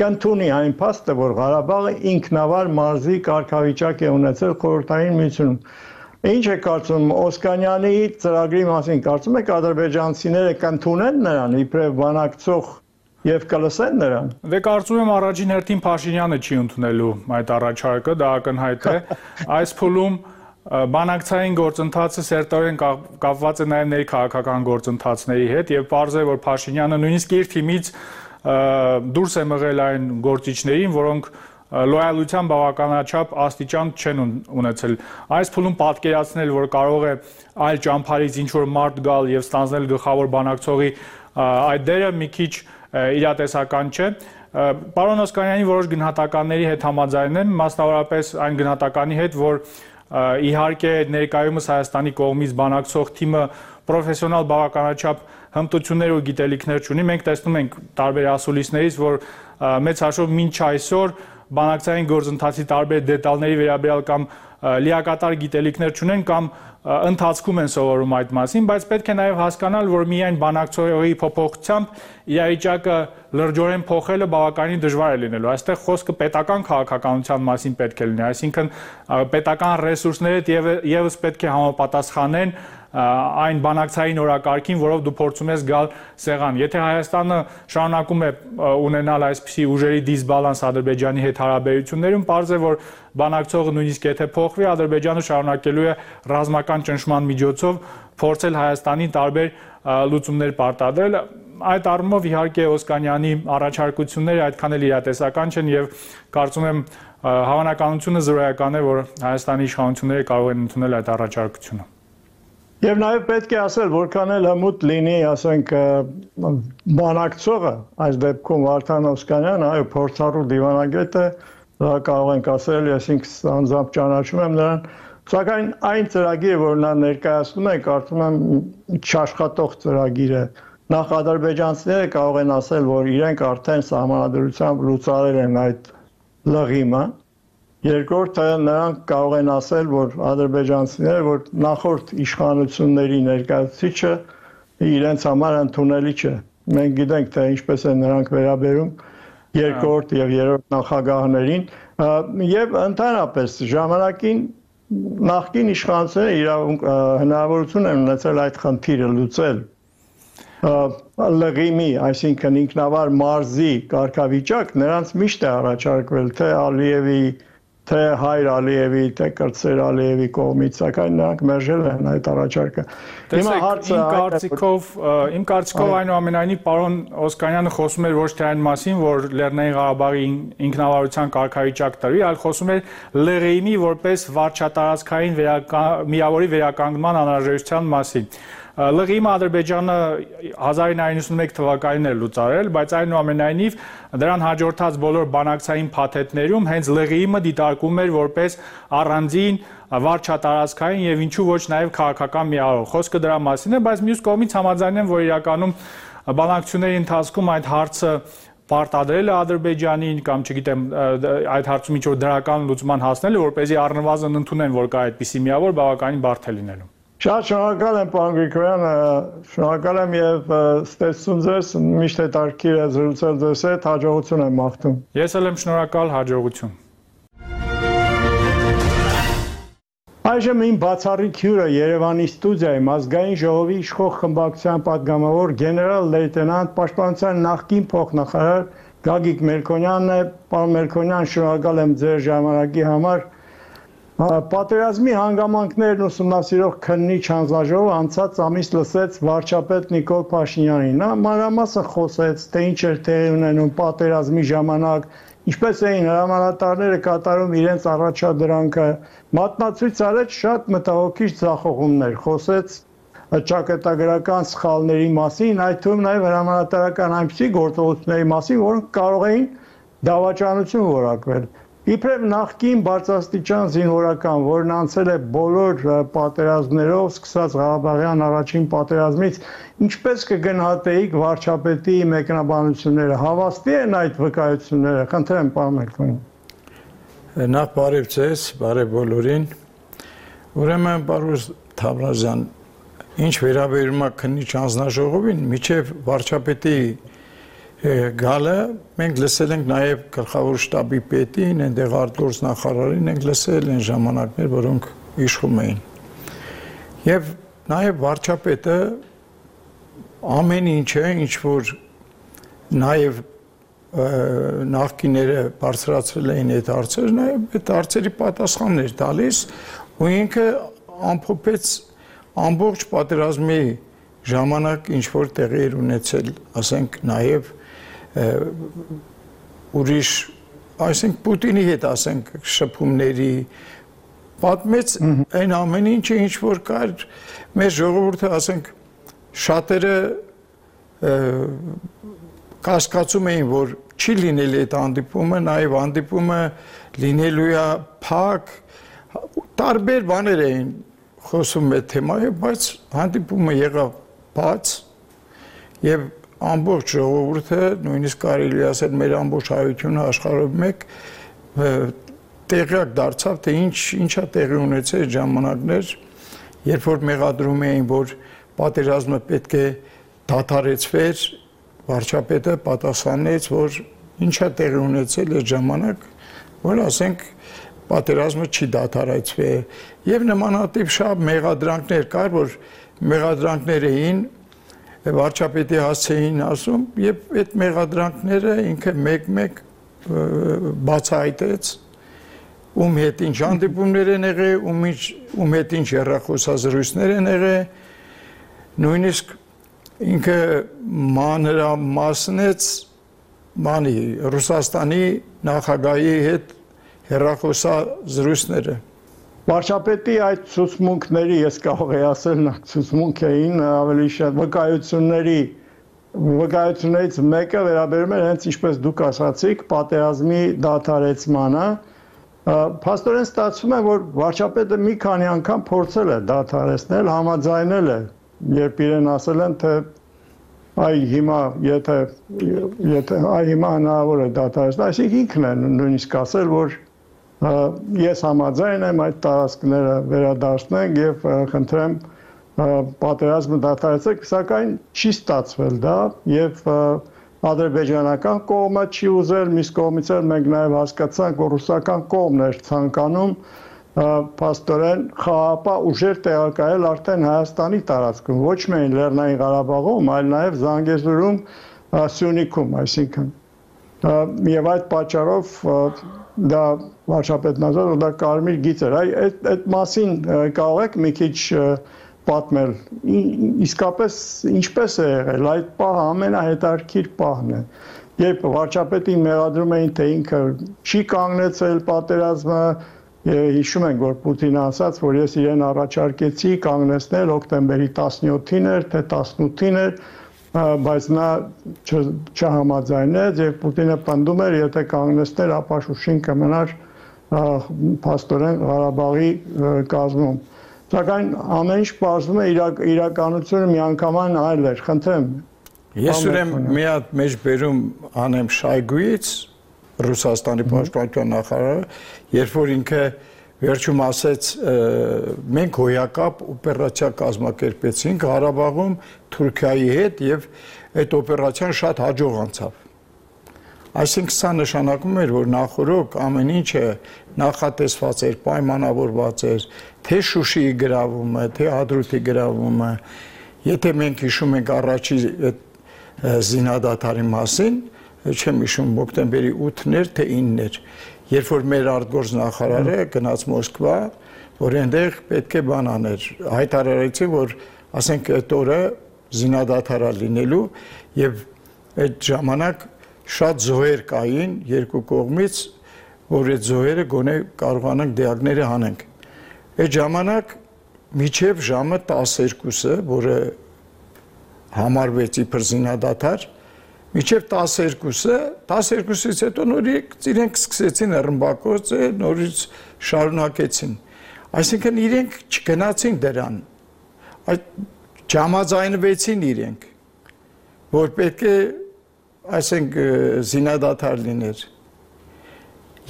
կընդունի այն փաստը որ Ղարաբաղը ինքնավար մարզի կարգավիճակ է ունեցել խորհրդային միությունում։ Ինչ է կարծում Օսկանյանի ծրագրի մասին, կարծում եք ադրբեջանցիները կընդունեն նրան իբրև բանակցող Եվ կլսեն նրան։ Դե կարծում եմ առաջին հերթին Փաշինյանը չի ընդունելու այդ առաջարկը, դա ակնհայտ է։ Այս փուլում բանակցային գործընթացը սերտորեն կապված է նաև ներքաղաքական գործընթացների հետ եւ պարզ է որ Փաշինյանը նույնիսկ իր թիմից դուրս է մղել այն գործիչներին, որոնք լոյալության բավականաչափ աստիճան չեն ունեցել։ Այս փուլում պատկերացնել, որ կարող է այլ ճամփարից ինչ որ մարդ գալ եւ ստանձնել գլխավոր բանակցողի այդ դերը մի քիչ իրատեսական չէ։ Պարոն Օսկանյանի որոշ գնահատականների հետ համաձայնեմ, մասնավորապես այն գնահատականի հետ, որ իհարկե ներկայումս Հայաստանի կողմից բանակցող թիմը պրոֆեսիոնալ բավականաչափ հմտություններ ու գիտելիքներ չունի։ Մենք տեսնում ենք տարբեր ասուլիսներից, որ մեծ հաշվով մինչ այսօր բանակցային գործընթացի տարբեր դետալների վերաբերյալ կամ լիակատար գիտելիքներ չունեն կամ ընթացքում են սովորում այդ մասին, բայց պետք է նաև հասկանալ, որ միայն բանակցողի փոփոխությամբ իրավիճակը լրջորեն փոխելը բավականին դժվար է լինելու։ Այստեղ խոսքը պետական քաղաքականության մասին պետք է լինի, այսինքն պետական ռեսուրսները եւս պետք է համապատասխանեն այն բանակցային օրակարգին, որով դու փորձում ես գալ սեղան։ Եթե Հայաստանը շարունակում է ունենալ այսպիսի ուժերի դիսբալանս Ադրբեջանի հետ հարաբերություններում, պարզ է, որ բանակցողը նույնիսկ եթե փոխվի, Ադրբեջանը շարունակելու է ռազմական ճնշման միջոցով փորձել Հայաստանին տարբեր լուծումներ պարտադրել։ Այդ առումով իհարկե Օսկանյանի առաջարկությունները այդքան էլ իրատեսական չեն եւ կարծում եմ հավանականությունը զրոյական է, որ Հայաստանի իշխանությունները կարող են ընդունել այդ առաջարկությունը։ Եվ նաև պետք է ասել, որքան էլ հմուտ լինի, ասենք, բանակցողը, այս դեպքում Վարդան Օսկանյանը, այո, փորձառու դիվանագետ է, դա կարող ենք ասել, ես ինքս անձամբ ճանաչում եմ նրան, սակայն այն ծրագիրը, որ նա ներկայացնում է, կարծում եմ չաշխատող ծրագիր է։ Նախ ադրբեջանցիները կարող են ասել, որ իրենք արդեն սահմանադրությամբ լուծարել են այդ լղիմը։ Երկրորդը նրանք կարող են ասել, որ ադրբեջանցիները, որ նախորդ իշխանությունների ներկայացուցիչը իրենց համար ընդունելի չէ։ Մենք գիտենք, թե ինչպես են նրանք վերաբերում երկրորդ եւ երրորդ նախագահներին, եւ ընդհանրապես ժամանակին նախկին իշխանությունները իրավունք հնարավորություն են ունեցել այդ խնդիրը լուծել։ Լղիմի, այսինքն ինքնավար մարզի կարգավիճակ նրանց միշտ է առաջարկվել, թե Ալիևի թե Հայր Ալիևի, թե Կրտսեր Ալիևի կողմից, սակայն նրանք մերժել են այդ առաջարկը։ Հիմա հարցը իմ կարծիքով, իմ կարծիքով այնուամենայնիվ պարոն Օսկանյանը խոսում էր ոչ թե այն մասին, որ Լեռնային Ղարաբաղի ինքնավարության կարգավիճակ տրվի, այլ խոսում էր Լղիմի որպես վարչատարածքային միավորի վերականգնման անհրաժեշտության մասին։ Լղիմը Ադրբեջանը հազար ինը հարյուր նվաթ թվականին էր լուծարել, բայց այնուամենայնիվ դրան հաջորդած բոլոր բանակցային փաթեթներում հենց Լղիմը դիտարկում էր որպես առանձին վարչատարածքային եւ ինչու ոչ նաեւ քաղաքական միավոր։ Խոսքը դրա մասին է, բայց մյուս կողմից համաձայն եմ, որ իրականում բանակցությունների ընթացքում այդ հարցը պարտադրել է Ադրբեջանին կամ չգիտեմ այդ հարցում ինչ որ դրական լուծման հասնելը, որպեսզի առնվազն ընդունեն, որ կա այդպիսի միավոր, բավականին բարդ է լինելու։ Շատ շնորհակալ եմ, պարոն Գրիգորյան, շնորհակալ եմ եւ ստեցություն ձեզ, միշտ հետաքրքիր է զրուցել ձեզ հետ, հաջողություն եմ մաղթում։ Ես էլ եմ շնորհակալ, հաջողություն։ Այժմ իմ բացառիկ հյուրը Երևանի ստուդիայում ազգային ժողովի իշխող խմբակցության պատգամավոր գեներալ լեյտենանտ պաշտպանության նախկին փոխնախարար Գագիկ Մելքոնյանն է։ Պարոն Մելքոնյան, շնորհակալ եմ ձեր ժամանակի համար։ Պատերազմի հանգամանքներն ուսումնասիրող քննիչ հանձնաժողովը անցած ամիս լսեց վարչապետ Նիկոլ Փաշինյանին։ Նա մանրամասն խոսեց, թե ինչ էր տեղի ունենում պատերազմի ժամանակ, ինչպես էին հրամանատարները կատարում իրենց առաջադրանքը, մատնացույց արեց շատ մտահոգիչ ձախողումներ, խոսեց ճակատագրական սխալների մասին, այդ թվում նաև հրամանատարական այնպիսի գործողությունների մասին, որոնք կարող էին դավաճանություն որակվել։ Իբրև նախկին բարձրաստիճան զինվորական, որն անցել է բոլոր պատերազմներով, սկսած Ղարաբաղյան առաջին պատերազմից, ինչպես կգնահատեիք վարչապետի մեկնաբանությունները, հավաստի են այդ վկայությունները, խնդրեմ, պարոն Մելքոնյան։ Նախ բարև ձեզ, բարև բոլորին։ Ուրեմն, պարոն Թամրազյան, ինչ վերաբերում է քննիչ հանձնաժողովին, միջև վարչապետի գալը մենք լսել ենք նաև գլխավոր շտաբի պետին, այնտեղ արտգործնախարարին ենք լսել այն ժամանակներ, որոնք իշխում էին։ Եվ նաև վարչապետը ամեն ինչը, ինչ որ նաև նախկիները բարձրացրել էին այդ հարցերը, նաև այդ հարցերի պատասխաններ տալիս ու ինքը ամփոփեց ամբողջ պատերազմի ժամանակ ինչ որ տեղի էր ունեցել, ասենք նաև ուրիշ, այսինքն Պուտինի հետ ասենք շփումների պատմեց այն ամեն ինչը ինչ որ կար մեր ժողովուրդը ասենք շատերը կասկածում էին որ չի լինել այդ հանդիպումը, նաև հանդիպումը լինելու է փակ, տարբեր բաներ էին խոսում այդ թեմայով, բայց հանդիպումը եղավ բաց եւ ամբողջ ժողովուրդը, նույնիսկ կարելի ասել մեր ամբողջ հայությունը աշխարհով մեկ տեղյակ դարձավ, թե ինչ ինչա տեղի ունեցել ժամանակներ, երբ որ մեղադրում էին, որ պատերազմը պետք է դադարեցվեր, վարչապետը պատասխանեց, որ ինչա տեղի ունեցել այդ ժամանակ, որ ասենք պատերազմը չի դադարեցվել, եւ նմանատիպ շատ մեղադրանքներ կար, որ մեղադրանքներ էին վարչապետի հասցեին ասում եւ այդ մեղադրանքները ինքը մեկ-մեկ բացահայտեց ում հետ ինչ հանդիպումներ են եղել, ում ինչ ում հետ ինչ հեռախոսազրույցներ են եղել, նույնիսկ ինքը մանրամասնեց մանի Ռուսաստանի նախագահի հետ հեռախոսազրույցները Վարչապետի այդ ցուցմունքների, ես կարող եի ասել, ցուցմունք էին ավելի շատ վկայությունների, վկայություններից մեկը վերաբերում է հենց ինչպես դուք ասացիք, պատերազմի դադարեցմանը։ Փաստորեն ստացվում է, որ վարչապետը մի քանի անգամ փորձել է դադարեցնել, համաձայնել է, երբ իրեն ասել են, թե այ հիմա եթե եթե այ հիմա հնարավոր է դադարեցնել, այսինքն ինքն է նույնիսկ ասել, որ ես համաձայն եմ այդ տարածքները վերադարձնենք եւ խնդրեմ պատերազմը դադարեցեք, սակայն չի ստացվել դա եւ ադրբեջանական կողմը չի ուզել, մյուս կողմից էլ մենք նաեւ հասկացանք, որ ռուսական կողմն էր ցանկանում փաստորեն խաղաղապահ ուժեր տեղակայել արդեն Հայաստանի տարածքում, ոչ միայն Լեռնային Ղարաբաղում, այլ նաեւ Զանգեզուրում, Սյունիքում, այսինքն եւ այդ պատճառով դա վարչապետն ասել, որ դա կարմիր գիծ էր։ Այդ այդ մասին կարող եք մի քիչ պատմել, իսկապես ինչպես է եղել, այդ պահը ամենահետաքրքիր պահն է, երբ վարչապետին մեղադրում էին, թե ինքը չի կանգնեցել պատերազմը, հիշում ենք, որ Պուտինը ասաց, որ ես իրեն առաջարկեցի կանգնեցնել հոկտեմբերի տասնյոթին էր, թե տասնութին էր, բայց նա չհամաձայնեց եւ Պուտինը պնդում էր, եթե կանգնեցներ, ապա Շուշին կմնար փաստորեն Ղարաբաղի կազմում։ Սակայն ամեն ինչ պարզվում է իրականությունը միանգամայն այլ էր, խնդրեմ։ Ես ուրեմն մի հատ մեջ բերում անեմ Շայգուից, Ռուսաստանի պաշտպանության նախարարը, երբ որ ինքը վերջում ասեց մենք հոյակապ օպերացիա կազմակերպեցինք Ղարաբաղում Թուրքիայի հետ եւ այդ օպերացիան շատ հաջող անցավ։ Այսինքն սա նշանակում էր, որ նախորոք ամեն ինչը նախատեսված էր, պայմանավորված էր, թե Շուշիի գրավումը, թե Հադրութի գրավումը, եթե մենք հիշում ենք առաջի զինադադարի մասին, չեմ հիշում հոկտեմբերի ութն էր, թե ինն էր, երբ որ մեր արտգործնախարարը գնաց Մոսկվա, որ այնտեղ պետք է բան աներ, հայտարարեցին, որ ասենք այդ օրը զինադադար լինելու եւ այդ ժամանակ շատ զոհեր կային երկու կողմից, որ այդ զոհերը գոնե կարողանանք դիակները հանենք։ Այդ ժամանակ միջև ժամը տասներկուսը, որը համարվեց իբր զինադադար, միջև տասներկուսը, տասներկուսից հետո նորից իրենք սկսեցին ռմբակոծը, նորից շարունակեցին։ Այսինքն իրենք չգնացին դրան, այդ չհամաձայնվեցին իրենք, որ պետք է այսենք զինադադար լիներ։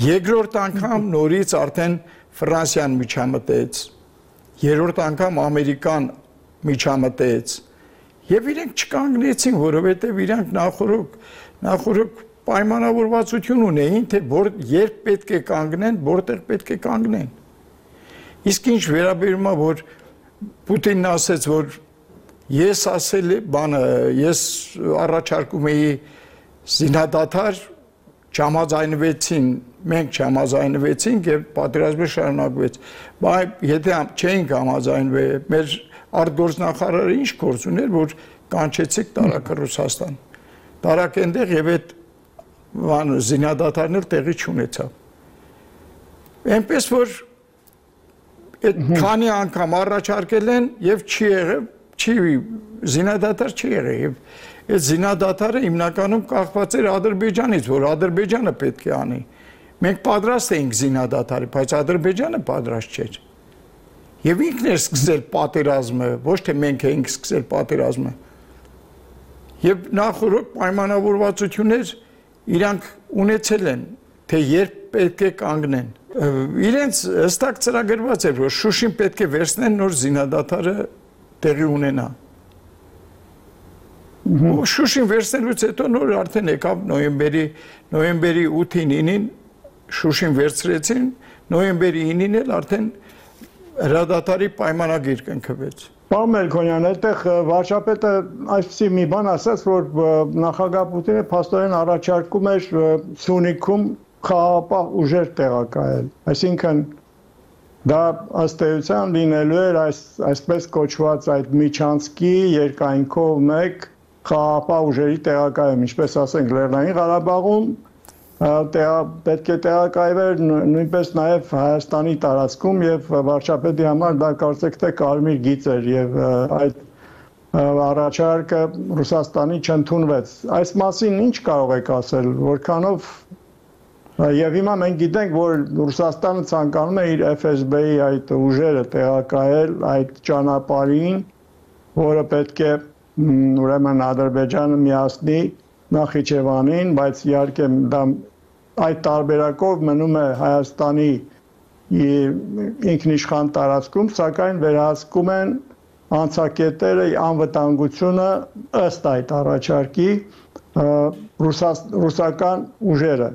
Երկրորդ անգամ նորից արդեն Ֆրանսիան միջամտեց, երրորդ անգամ Ամերիկան միջամտեց, եւ իրենք չկանգնեցին, որովհետեւ իրանք նախորոք նախորոք պայմանավորվածություն ունեին, թե որ երբ պետք է կանգնեն, որտեղ պետք է կանգնեն։ Իսկ ինչ վերաբերում է, որ Պուտինն ասեց, որ ես ասել բանը, ես առաջարկում էի զինադադար, չհամաձայնվեցին, մենք չհամաձայնվեցինք եւ պատերազմը շարունակվեց։ Բայց եթե չէինք համաձայնվել, մեր արտգործնախարարը ինչ գործ ուներ, որ կանչեցիք տարածքը Ռուսաստան։ Տարածք այնտեղ եւ այդ բան զինադադարն էլ տեղի չունեցավ։ Այնպես որ այդ քանի անգամ առաջարկել են եւ չի եղել, չի զինադադար չի եղել եւ այդ զինադադարը հիմնականում կախված էր Ադրբեջանից, որ Ադրբեջանը պետք է անի։ Մենք պատրաստ էինք զինադադարի, բայց Ադրբեջանը պատրաստ չէր։ Եվ ինքն էր սկսել պատերազմը, ոչ թե մենք էինք սկսել պատերազմը։ Եվ նախորդ պայմանավորվածություններ իրանք ունեցել են, թե երբ պետք է կանգնեն։ Իրենց հստակ ծրագրված էր, որ Շուշին պետք է վերցնեն, նոր զինադադարը տեղի ունենա։ Շուշին վերցնելուց հետո նոր արդեն եկավ նոյեմբերի նոյեմբերի ութին ինին Շուշին վերցրեցին, նոյեմբերի ինին էլ արդեն հրադադարի պայմանագիր կնքվեց։ Պարոն Մելքոնյան, այդտեղ վարչապետը այսպիսի մի բան ասաց, որ նախագահ Պուտինը փաստորեն առաջարկում էր Սյունիքում խաղաղապահ ուժեր տեղակայել։ Այսինքն դա ըստ էության լինելու էր այս այսպես կոչված այդ Միչանսկի երկայնքով մեկ խաղաղապահ ուժերի տեղակայում, ինչպես ասենք Լեռնային Ղարաբաղում պետք է տեղակայվեր նույնպես նաև Հայաստանի տարածքում եւ վարչապետի համար դա կարծեք թե կարմիր գիծ էր եւ այդ առաջարկը Ռուսաստանի չընդունվեց։ Այս մասին ինչ կարող եք ասել, որքանով եւ հիմա մենք գիտենք, որ Ռուսաստանը ցանկանում է իր F S B-ի այդ ուժերը տեղակայել այդ ճանապարհին, որը պետք է ուրեմն Ադրբեջանը միացնի Նախիջևանին, բայց իհարկե դա այդ տարբերակով մնում է Հայաստանի ինքնիշխան տարածքում, սակայն վերահսկում են անցակետերը անվտանգությունը ըստ այդ առաջարկի ռուսական ուժերը։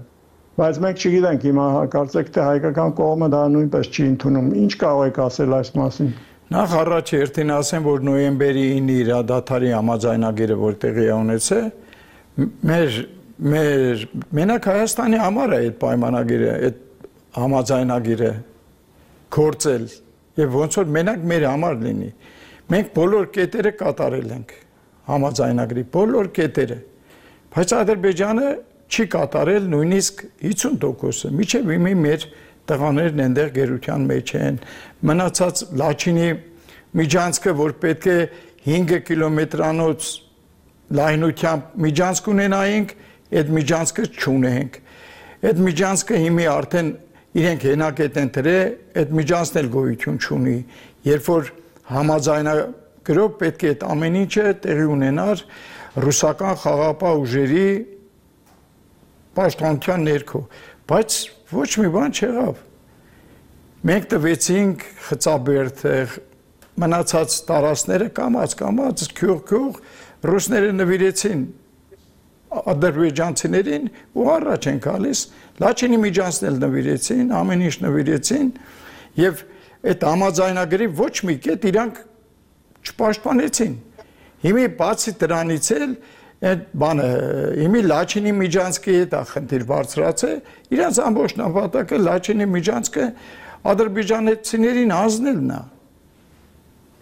Բայց մենք չգիտենք հիմա կարծեք թե հայկական կողմը դա նույնպես չի ընդունում։ Ինչ կարող եք ասել այս մասին։ Նախ առաջ երթին ասեմ, որ նոյեմբերի ինը իրադադարի համաձայնագիրը որ տեղի է ունեցել, մեր մեր մենակ Հայաստանի համար է այդ պայմանագիրը, այդ համաձայնագիրը կորցել եւ ոնց որ մենակ մեր համար լինի։ Մենք բոլոր կետերը կատարել ենք համաձայնագրի, բոլոր կետերը։ Բայց Ադրբեջանը չի կատարել նույնիսկ հիսուն տոկոսը, միջև իմի մեր տղաներն այնտեղ գերության մեջ են, մնացած Լաչինի միջանցքը, որ պետք է հինգ կիլոմետրանոց լայնությամբ միջանցք ունենայինք, այդ միջանցքը չունենք, այդ միջանցքը հիմի արդեն իրենք հենակետ են դրել, այդ միջանցն էլ գոյություն չունի, երբ որ համաձայնագրով պետք է այդ ամեն ինչը տեղի ունենար ռուսական խաղաղապահ ուժերի պաշտպանության ներքո, բայց ոչ մի բան չեղավ։ Մենք տվեցինք Խծաբերդը, մնացած տարածքները կամաց կամաց քյուղ-քյուղ ռուսները նվիրեցին ադրբեջանցիներին ու առաջ են գալիս, Լաչինի միջանցն էլ նվիրեցին, ամեն ինչ նվիրեցին եւ այդ համաձայնագրի ոչ մի կետ իրանք չպաշտպանեցին։ Հիմի բացի դրանից էլ այդ բանը հիմի Լաչինի միջանցքի հետ է խնդիր բարձրացել, իրանց ամբողջ նպատակը Լաչինի միջանցքը ադրբեջանցիներին հանձնելն է։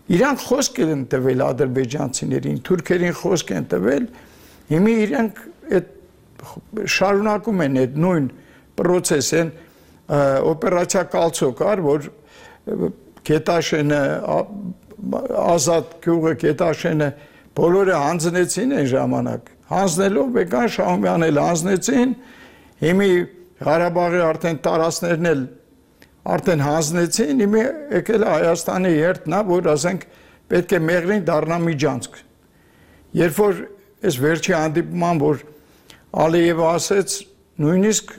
Իրանք խոսք են տվել ադրբեջանցիներին, թուրքերին խոսք են տվել, հիմի իրանք այդ շարունակում են այդ նույն process-ն օպերացիա Կալցո կար, որ Գետաշենը ազատ գյուղը Գետաշենը բոլորը հանձնեցին այն ժամանակ, հանձնելով եկան Շահումյանն էլ հանձնեցին, հիմի Ղարաբաղի արդեն տարածքներն էլ արդեն հանձնեցին, հիմի եկել է Հայաստանի երթն է, որ ասենք պետք է Մեղրին դառնա միջանցք։ Երբ որ այս վերջի հանդիպման, որ Ալիևը ասեց, նույնիսկ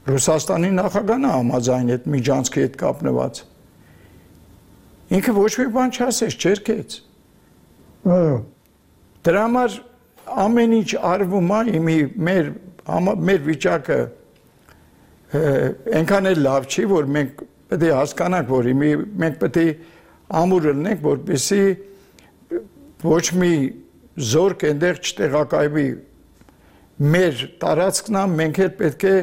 Ռուսաստանի նախագահն է համաձայն այդ միջանցքի հետ կապնված։ Ինքը ոչ մի բան չասեց, չերկեց։ Դրա համար ամեն ինչ արվում է, հիմի մեր մեր վիճակը այնքան էլ լավ չի, որ մենք պետք է հասկանանք, որ հիմի մենք պետք է ամուր լինենք, որպեսզի ոչ մի զորք այնտեղ չտեղակայվի մեր տարածքն է, մենք էլ պետք է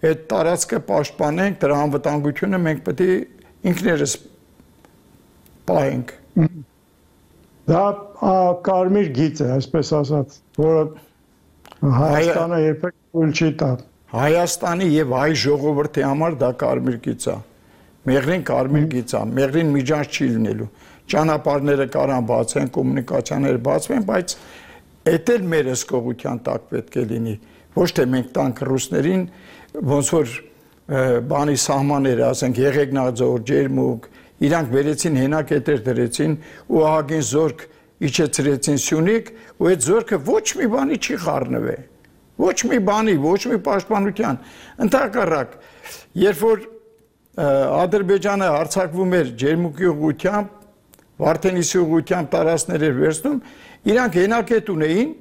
այդ տարածքը պաշտպանենք, դրա անվտանգությունը մենք պետք է ինքներս պահենք։ Դա կարմիր գիծ է, այսպես ասած, որը Հայաստանը երբեք թույլ չի տա։ Հայաստանի եւ հայ ժողովրդի համար դա կարմիր գիծ է։ Մեղրին կարմիր գիծ է, Մեղրին միջանց չի լինելու։ Ճանապարհները կարան բացեն, կոմունիկացիաները բացվեն, բայց էդ էլ մեր հսկողության տակ պետք է լինի։ Ոչ թե մենք տանք ռուսներին, ոնց որ բանի սահմանները, ասենք Եղեգնաձոր, Ջերմուկ, իրանք վերեցին հենակետեր դրեցին ու ահագին զորք իջեցրեցին Սյունիք ու այդ զորքը ոչ մի բանի չի խառնվել, ոչ մի բանի, ոչ մի պաշտպանության։ Ընդհակառակ, երբ որ Ադրբեջանը հարձակվում էր Ջերմուկի ուղղությամբ, Վարդենիսի ուղղությամբ տարածքներ էր վերցնում, իրանք հենակետ ունեին,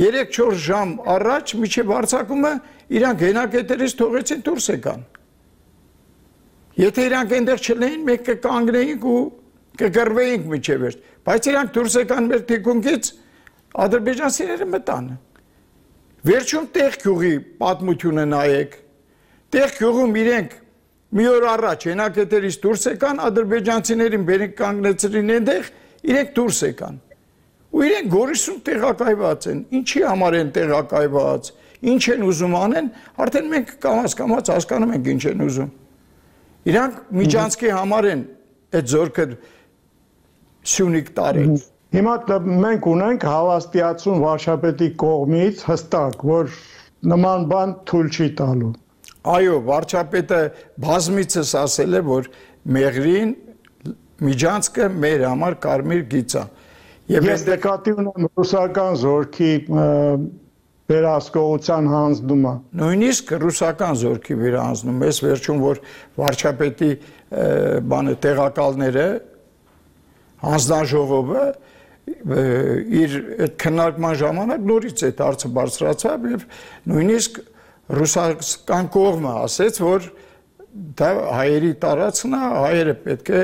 երեք-չորս ժամ առաջ մինչև հարձակումը իրանք հենակետերից թողեցին դուրս եկան։ Եթե իրանք այնտեղ չլեին, մենք կկանգնեինք ու կգրվեինք մինչև վերջ, բայց իրանք դուրս եկան մեր թիկունքից, ադրբեջանցիները մտան։ Վերջում տեղ գյուղի պատմությունը նայեք, տեղ գյուղում իրենք մի օր առաջ հենակետերից դուրս եկան, ադրբեջանցիներին բերենք կանգնեցրին այնտեղ, իրենք դուրս եկան։ Ու իրենք Գորիսում տեղակայված են, ինչի համար են տեղակայված, ինչ են ուզում անեն, արդեն մենք կամաց-կամաց հասկանում ենք ինչ են ուզում։ Իրանք միջանցքի համար են այդ զորքը Սյունիք տարել։ Հիմա մենք ունենք հավաստիացում վարչապետի կողմից հստակ, որ նման բան թույլ չի տալու։ Այո, վարչապետը բազմիցս ասել է, որ Մեղրին միջանցքը մեր համար կարմիր գիծ է։ Եվ ես նկատի ունեմ ռուսական զորքի վերահսկողության հանձնումը։ Նույնիսկ ռուսական զորքի վերահսկում, ես վերջում որ վարչապետի բանը տեղակալները հանձնաժողովը իր այդ քննարկման ժամանակ նորից այդ հարցը բարձրացավ եւ նույնիսկ ռուսական կողմը ասեց, որ դա հայերի տարածքն է, հայերը պետք է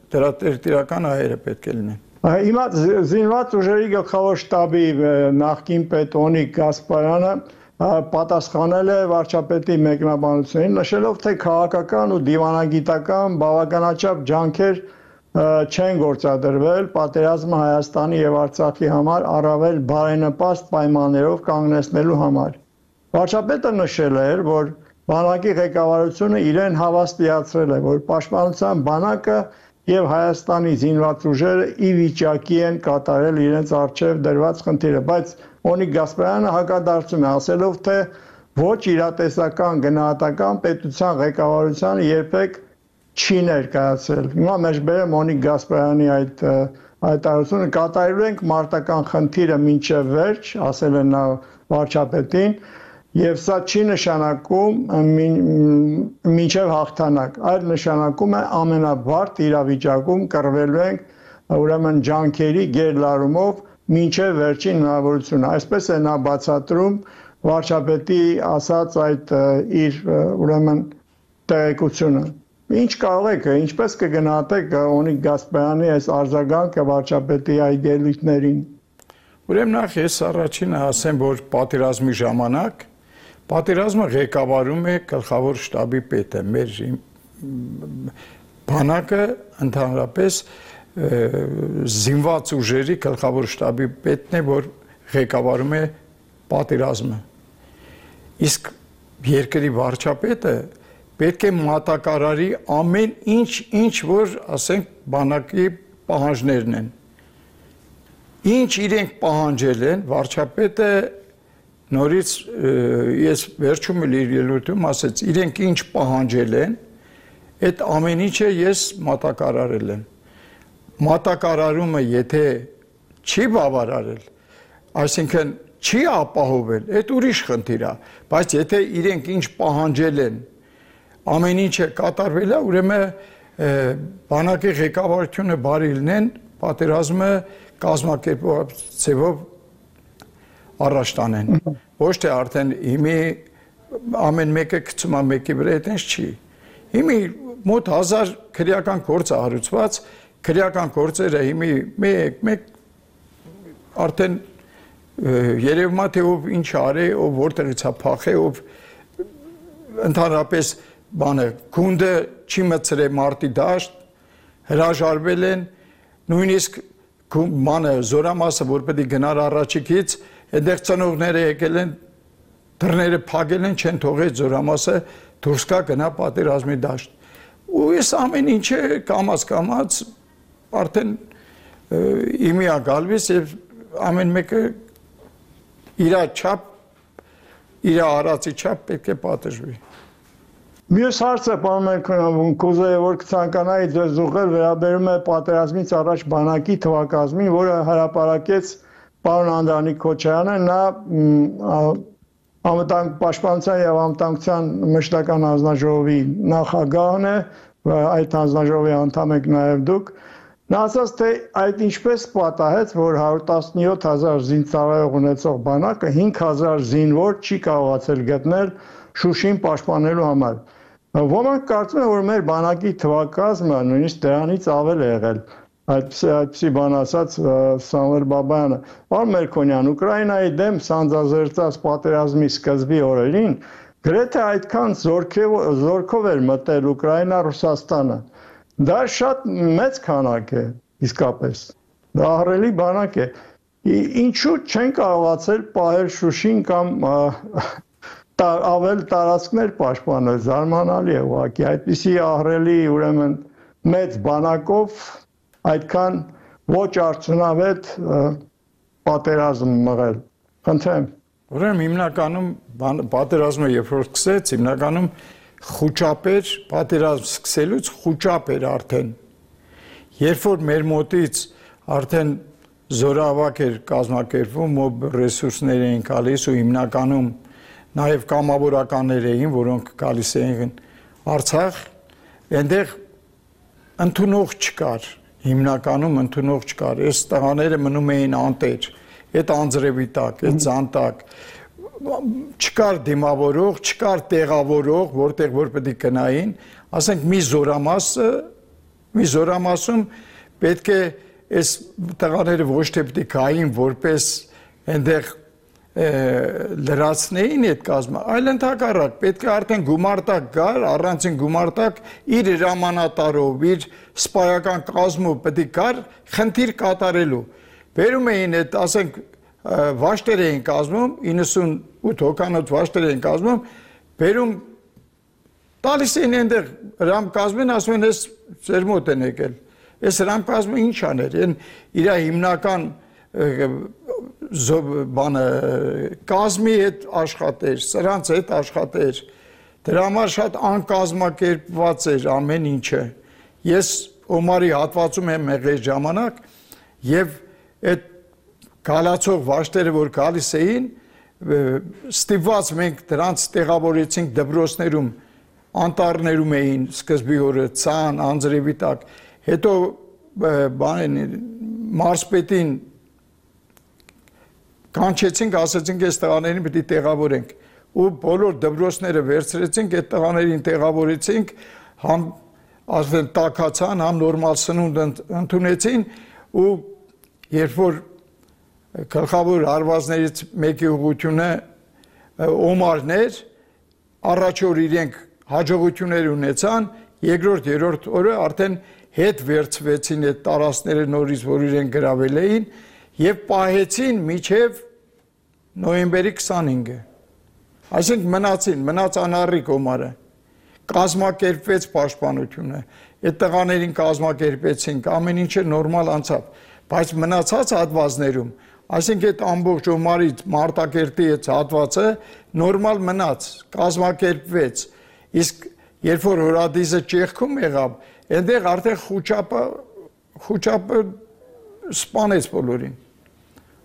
դրա տերտիրական հայերը պետք է լինեն։ Հիմա զինված ուժերի գլխավոր շտաբի նախկին պետ Օնիկ Գասպարյանը պատասխանել է վարչապետի մեկնաբանությունին, նշելով, թե քաղաքական ու դիվանագիտական բավականաչափ ջանքեր չեն գործադրվել պատերազմը Հայաստանի եւ Արցախի համար առավել բարենպաստ պայմաններով կանգնեցնելու համար։ Վարչապետը նշել էր, որ բանակի ղեկավարությունը իրեն հավաստիացրել է, որ պաշտպանության բանակը եւ Հայաստանի զինված ուժերը ի վիճակի են կատարել իրենց առջև դրված խնդիրը, բայց Օնիկ Գասպարյանը հակադարձում է, ասելով, թե ոչ իրատեսական գնահատական պետության ղեկավարությանը երբեք չի ներկայացել։ Հիմա մեջբերեմ Օնիկ Գասպարյանի այդ հայտարարությունը, կատարելու ենք մարտական խնդիրը մինչև վերջ, ասել է նա վարչապետին, եւ սա չի նշանակում մինչև հաղթանակ, այլ նշանակում է ամենաբարդ իրավիճակում կռվելու ենք ուրեմն ջանքերի գերլարումով մինչև վերջին հնարավորությունը։ Այսպես է նա բացատրում վարչապետի ասած այդ իր ուրեմն տեղեկությունը։ Ինչ կարող եք, ինչպես կգնահատեք Օնիկ Գասպարյանի այս արձագանքը վարչապետի այդ ելույթներին։ Ուրեմն նախ ես առաջինը ասեմ, որ պատերազմի ժամանակ պատերազմը ղեկավարում է գլխավոր շտաբի պետը, մեր բանակը ընդհանրապես զինված ուժերի գլխավոր շտաբի պետն է, որ ղեկավարում է պատերազմը։ Իսկ երկրի վարչապետը պետք է մատակարարի ամեն ինչ, ինչ որ, ասենք, բանակի պահանջներն են։ Ինչ իրենք պահանջել են, վարչապետը նորից ես վերջում էլ իր ելույթում ասեց, իրենք ինչ պահանջել են, այդ ամեն ինչը ես մատակարարել եմ։ Մատակարարումը եթե չի բավարարել, այսինքն չի ապահովել, այդ ուրիշ խնդիր է, բայց եթե իրենք ինչ պահանջել են, ամեն ինչը կատարվել է, ուրեմն բանակի ղեկավարությունը բարի լինեն, պատերազմը կազմակերպող ձևով առաջ տանեն։ Ոչ թե արդեն հիմի ամեն մեկը գցում է մեկի վրա, այդպես չի։ Հիմի մոտ հազար քրեական գործ է հարուցված, քրեական գործերը հիմի մեկ-մեկ արդեն երևում է թե ով ինչ արի, ով որտեղից է փախե, ով ընդհանրապես բանը գունդը չի մցրել մարտի դաշտ, հրաժարվել են, նույնիսկ բանը զորամասը, որ պետք է գնար առաջիկից, այդտեղ ծնողները եկել են, դռները փակել են, չեն թողել զորամասը դուրս գա գնա պատերազմի դաշտ։ Ու այս ամեն ինչը կամաց-կամաց արդեն իմի է գալիս եւ ամեն մեկը իր չափ, իր արածի չափ պետք է պատժվի։ Մյուս հարցը, պարոն Մերկոնյան, կուզեի, որ կցանկանայի ձեզ ուղղել, վերաբերում է պատերազմից առաջ բանակի թվակազմին, որը հրապարակեց պարոն Անդրանիկ Քոչարյանը, նա պաշտպանության եւ անվտանգության մշտական հանձնաժողովի նախագահն է, այդ հանձնաժողովի անդամ եք նաեւ դուք։ Նա ասաց, թե այդ ինչպես պատահեց, որ հարյուր տասնյոթ հազար զինծառայող ունեցող բանակը հինգ հազար զինվոր չի կարողացել գտնել Շուշին պաշտպանելու համար։ Ոմանք կարծում են, որ մեր բանակի թվակազմը նույնիսկ դրանից ավել է եղել, այդպիսի բան ասաց Սամվել Բաբայանը։ Պարոն Մերկոնյան, Ուկրաինայի դեմ սանձազերծած պատերազմի սկզբի օրերին գրեթե այդքան զորքով էր մտել Ուկրաինա Ռուսաստանը։ Դա շատ մեծ քանակ է, իսկապես։ Դա ահռելի բանակ է։ Ինչու չեն կարողացել պահել Շուշին կամ ավել տարածքներ պաշտպանել, զարմանալի է ուղղակի, այդպիսի ահռելի ուրեմն մեծ բանակով այդքան ոչ արդյունավետ պատերազմ մղել։ Խնդրեմ։ Ուրեմն հիմնականում պատերազմը երբ որ սկսեց, հիմնականում խոճապեր, պատերազմ սկսելուց խոճապեր արդեն։ Երբ որ մեր մոտից արդեն զորավարակ էր կազմակերպվում, մոբ ռեսուրսներ էին գալիս ու հիմնականում նաև կամավորականներ էին, որոնք գալիս էին Արցախ, այնտեղ ընդունող չկար, հիմնականում ընդունող չկար, այս տղաները մնում էին անտեր, այդ անձրևի տակ, այդ զանտակ, չկար դիմավորող, չկար տեղավորող, որտեղ որ պետք է գնային, ասենք մի զորամասը, մի զորամասում պետք է այս տղաները ոչ թե պետք է գային որպես այնտեղ լրացնեին այդ կազմը, այլ ընդհակառակ պետք է արդեն գումարտակ գար, առանցին գումարտակ իր հրամանատարով, իր սպայական կազմով պետք է գար խնդիր կատարելու։ Բերում էին այդ, ասենք, վաշտեր էին կազմում, իննսունութ հոգանոց վաշտեր էին կազմում, բերում տալիս էին այնտեղ հրամ կազմին, ասում են, ես ձեր մոտ են եկել։ Այս հրամ կազմը ինչ աներ, իր հիմնական բանը կազմի հետ աշխատեր, սրանց հետ աշխատեր, դրա համար շատ անկազմակերպված էր ամեն ինչը։ Ես Օմարի հատվածում եմ եղել ժամանակ եւ այդ գալացող վաշտերը, որ գալիս էին, ստիպված մենք դրանց տեղավորեցինք դպրոցներում, անտառներում էին սկզբի օրը ցան, անձրևի տակ, հետո բանին մարզպետին կանչեցինք, ասացինք այս տղաներին պետք է տեղավորենք ու բոլոր դպրոցները վերցրեցինք, այդ տղաներին տեղավորեցինք, համ ասեն տակացան, համ նորմալ սնունդ ընդունեցին ու երբ որ գլխավոր հարվածներից մեկի ուղղությունը Օմարն էր, առաջ օր իրենք հաջողություններ ունեցան, երկրորդ, երրորդ օրը արդեն հետ վերցվեցին այդ տարածքները նորից, որ իրենք գրավել էին եւ պահեցին մինչեւ նոյեմբերի քսանհինգը։ Այսինքն մնացին, մնաց անառիկ Օմարը։ Կազմակերպվեց պաշտպանությունը, այդ տղաներին կազմակերպեցինք, ամեն ինչը նորմալ անցավ, բայց մնացած հատվածներում, այսինքն այդ ամբողջ Օմարից Մարտակերտի այդ հատվածը նորմալ մնաց, կազմակերպվեց, իսկ երբ որ Հորադիզը ճեղքում եղավ, այնտեղ արդեն խոճապը խոճապը սպանեց բոլորին։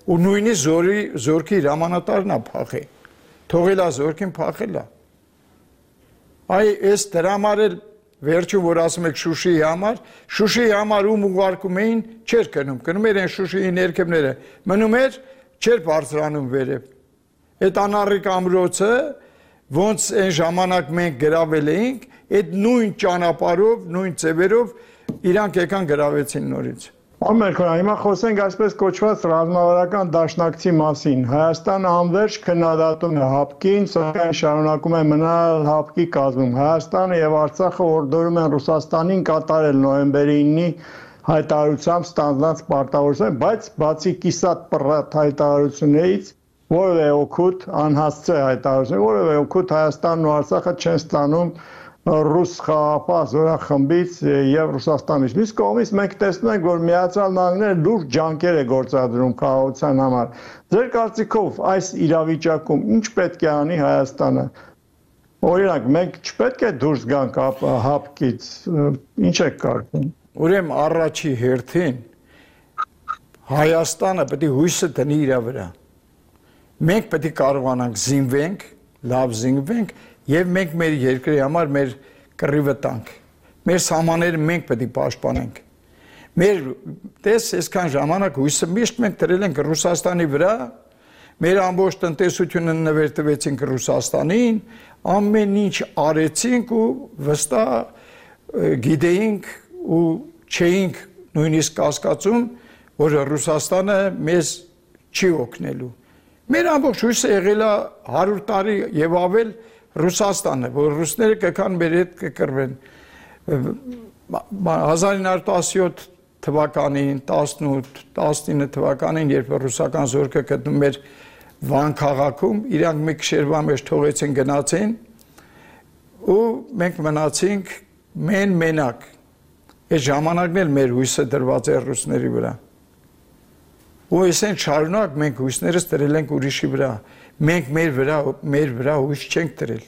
Ու նույնիսկ զորի զորքի հրամանատարն է փախել։ Թողելա զորքին փախելա։ Այ այս դրա համար էլ վերջում որ ասում եք Շուշիի համար, Շուշիի համար ում ուղարկում էին, չէր գնում, գնում էր այն Շուշիի ներքևները, մնում էր, չէր բարձրանում վերև։ Այդ անառիկ ամրոցը, ոնց այն ժամանակ մենք գրավել էինք, այդ նույն ճանապարհով, նույն ձևերով իրանք եկան գրավեցին նորից։ Ամերիկան, հիմա խոսենք այսպես կոչված ռազմավարական դաշնակցի մասին։ Հայաստանը անվերջ քննադատում է ՀԱՊԿ-ին, սակայն շարունակում է մնալ ՀԱՊԿ-ի կազմում։ Հայաստանը եւ Արցախը օրդորում են Ռուսաստանին կատարել նոյեմբերի ինի հայտարարությամբ ստանձնած պարտավորություն, բայց բացի կիսատ պռատ հայտարարություններից որևէ օգուտ անհասցե հայտարարություն, որևէ օգուտ Հայաստանն ու Արցախը չեն ստանում ռուս խաղաղապահ զորախմբից եւ Ռուսաստանից։ Մյուս կողմից մենք տեսնում ենք, որ Միացյալ Նահանգները լուրջ ջանքեր է գործադրում խաղաղության համար։ Ձեր կարծիքով այս իրավիճակում ինչ պետք է անի Հայաստանը։ Օրինակ, մենք չպետք է դուրս գանք ՀԱՊԿ-ից, ինչ եք կարծում։ Ուրեմն առաջի հերթին Հայաստանը պետք է հույսը դնի իր վրա։ Մենք պետք է կարողանանք զինվենք, լավ զինվենք եւ մենք մեր երկրի համար մեր կռիվը տանք։ Մեր սահմանները մենք պետք է պաշտպանենք։ Մեր տես այսքան ժամանակ հույսը միշտ մենք դրել ենք Ռուսաստանի վրա, մեր ամբողջ տնտեսությունը նվերտվեցինք Ռուսաստանին, ամեն ինչ արեցինք ու վստահ գիտեինք ու չէինք նույնիսկ կասկածում, որ Ռուսաստանը մեզ չի օգնելու։ Մեր ամբողջ հույսը եղել է հարյուր տարի եւ ավել Ռուսաստանը, որ ռուսները կգան մեր հետ կկռվեն։ հազար ինը հարյուր տասնյոթ թվականին, տասնութ, տասնինը թվականին, երբ ռուսական զորքը գտնում էր Վան քաղաքում, իրանք մի քշերվա մեջ թողեցին գնացին ու մենք մնացինք մեն մենակ։ Այս ժամանակն էլ մեր հույսը դրված է ռուսների վրա։ Ու այսեն շարունակ մենք հույսներս դրել ենք ուրիշի վրա։ Մենք մեր վրա մեր վրա հույս չենք դրել։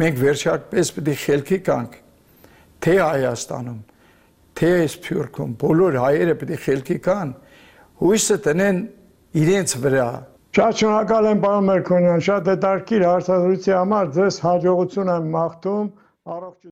Մենք վերջապես պետք է խելքի կանք, թե Հայաստանում, թե Սփյուռքում, բոլոր հայերը պետք է խելքի կան, հույսը տնեն իրենց վրա։ Շատ շնորհակալ եմ պարոն Մերկոնյան, շատ հետաքրքիր հարցազրույցի համար, ձեզ հաջողություն եմ մաղթում, առողջ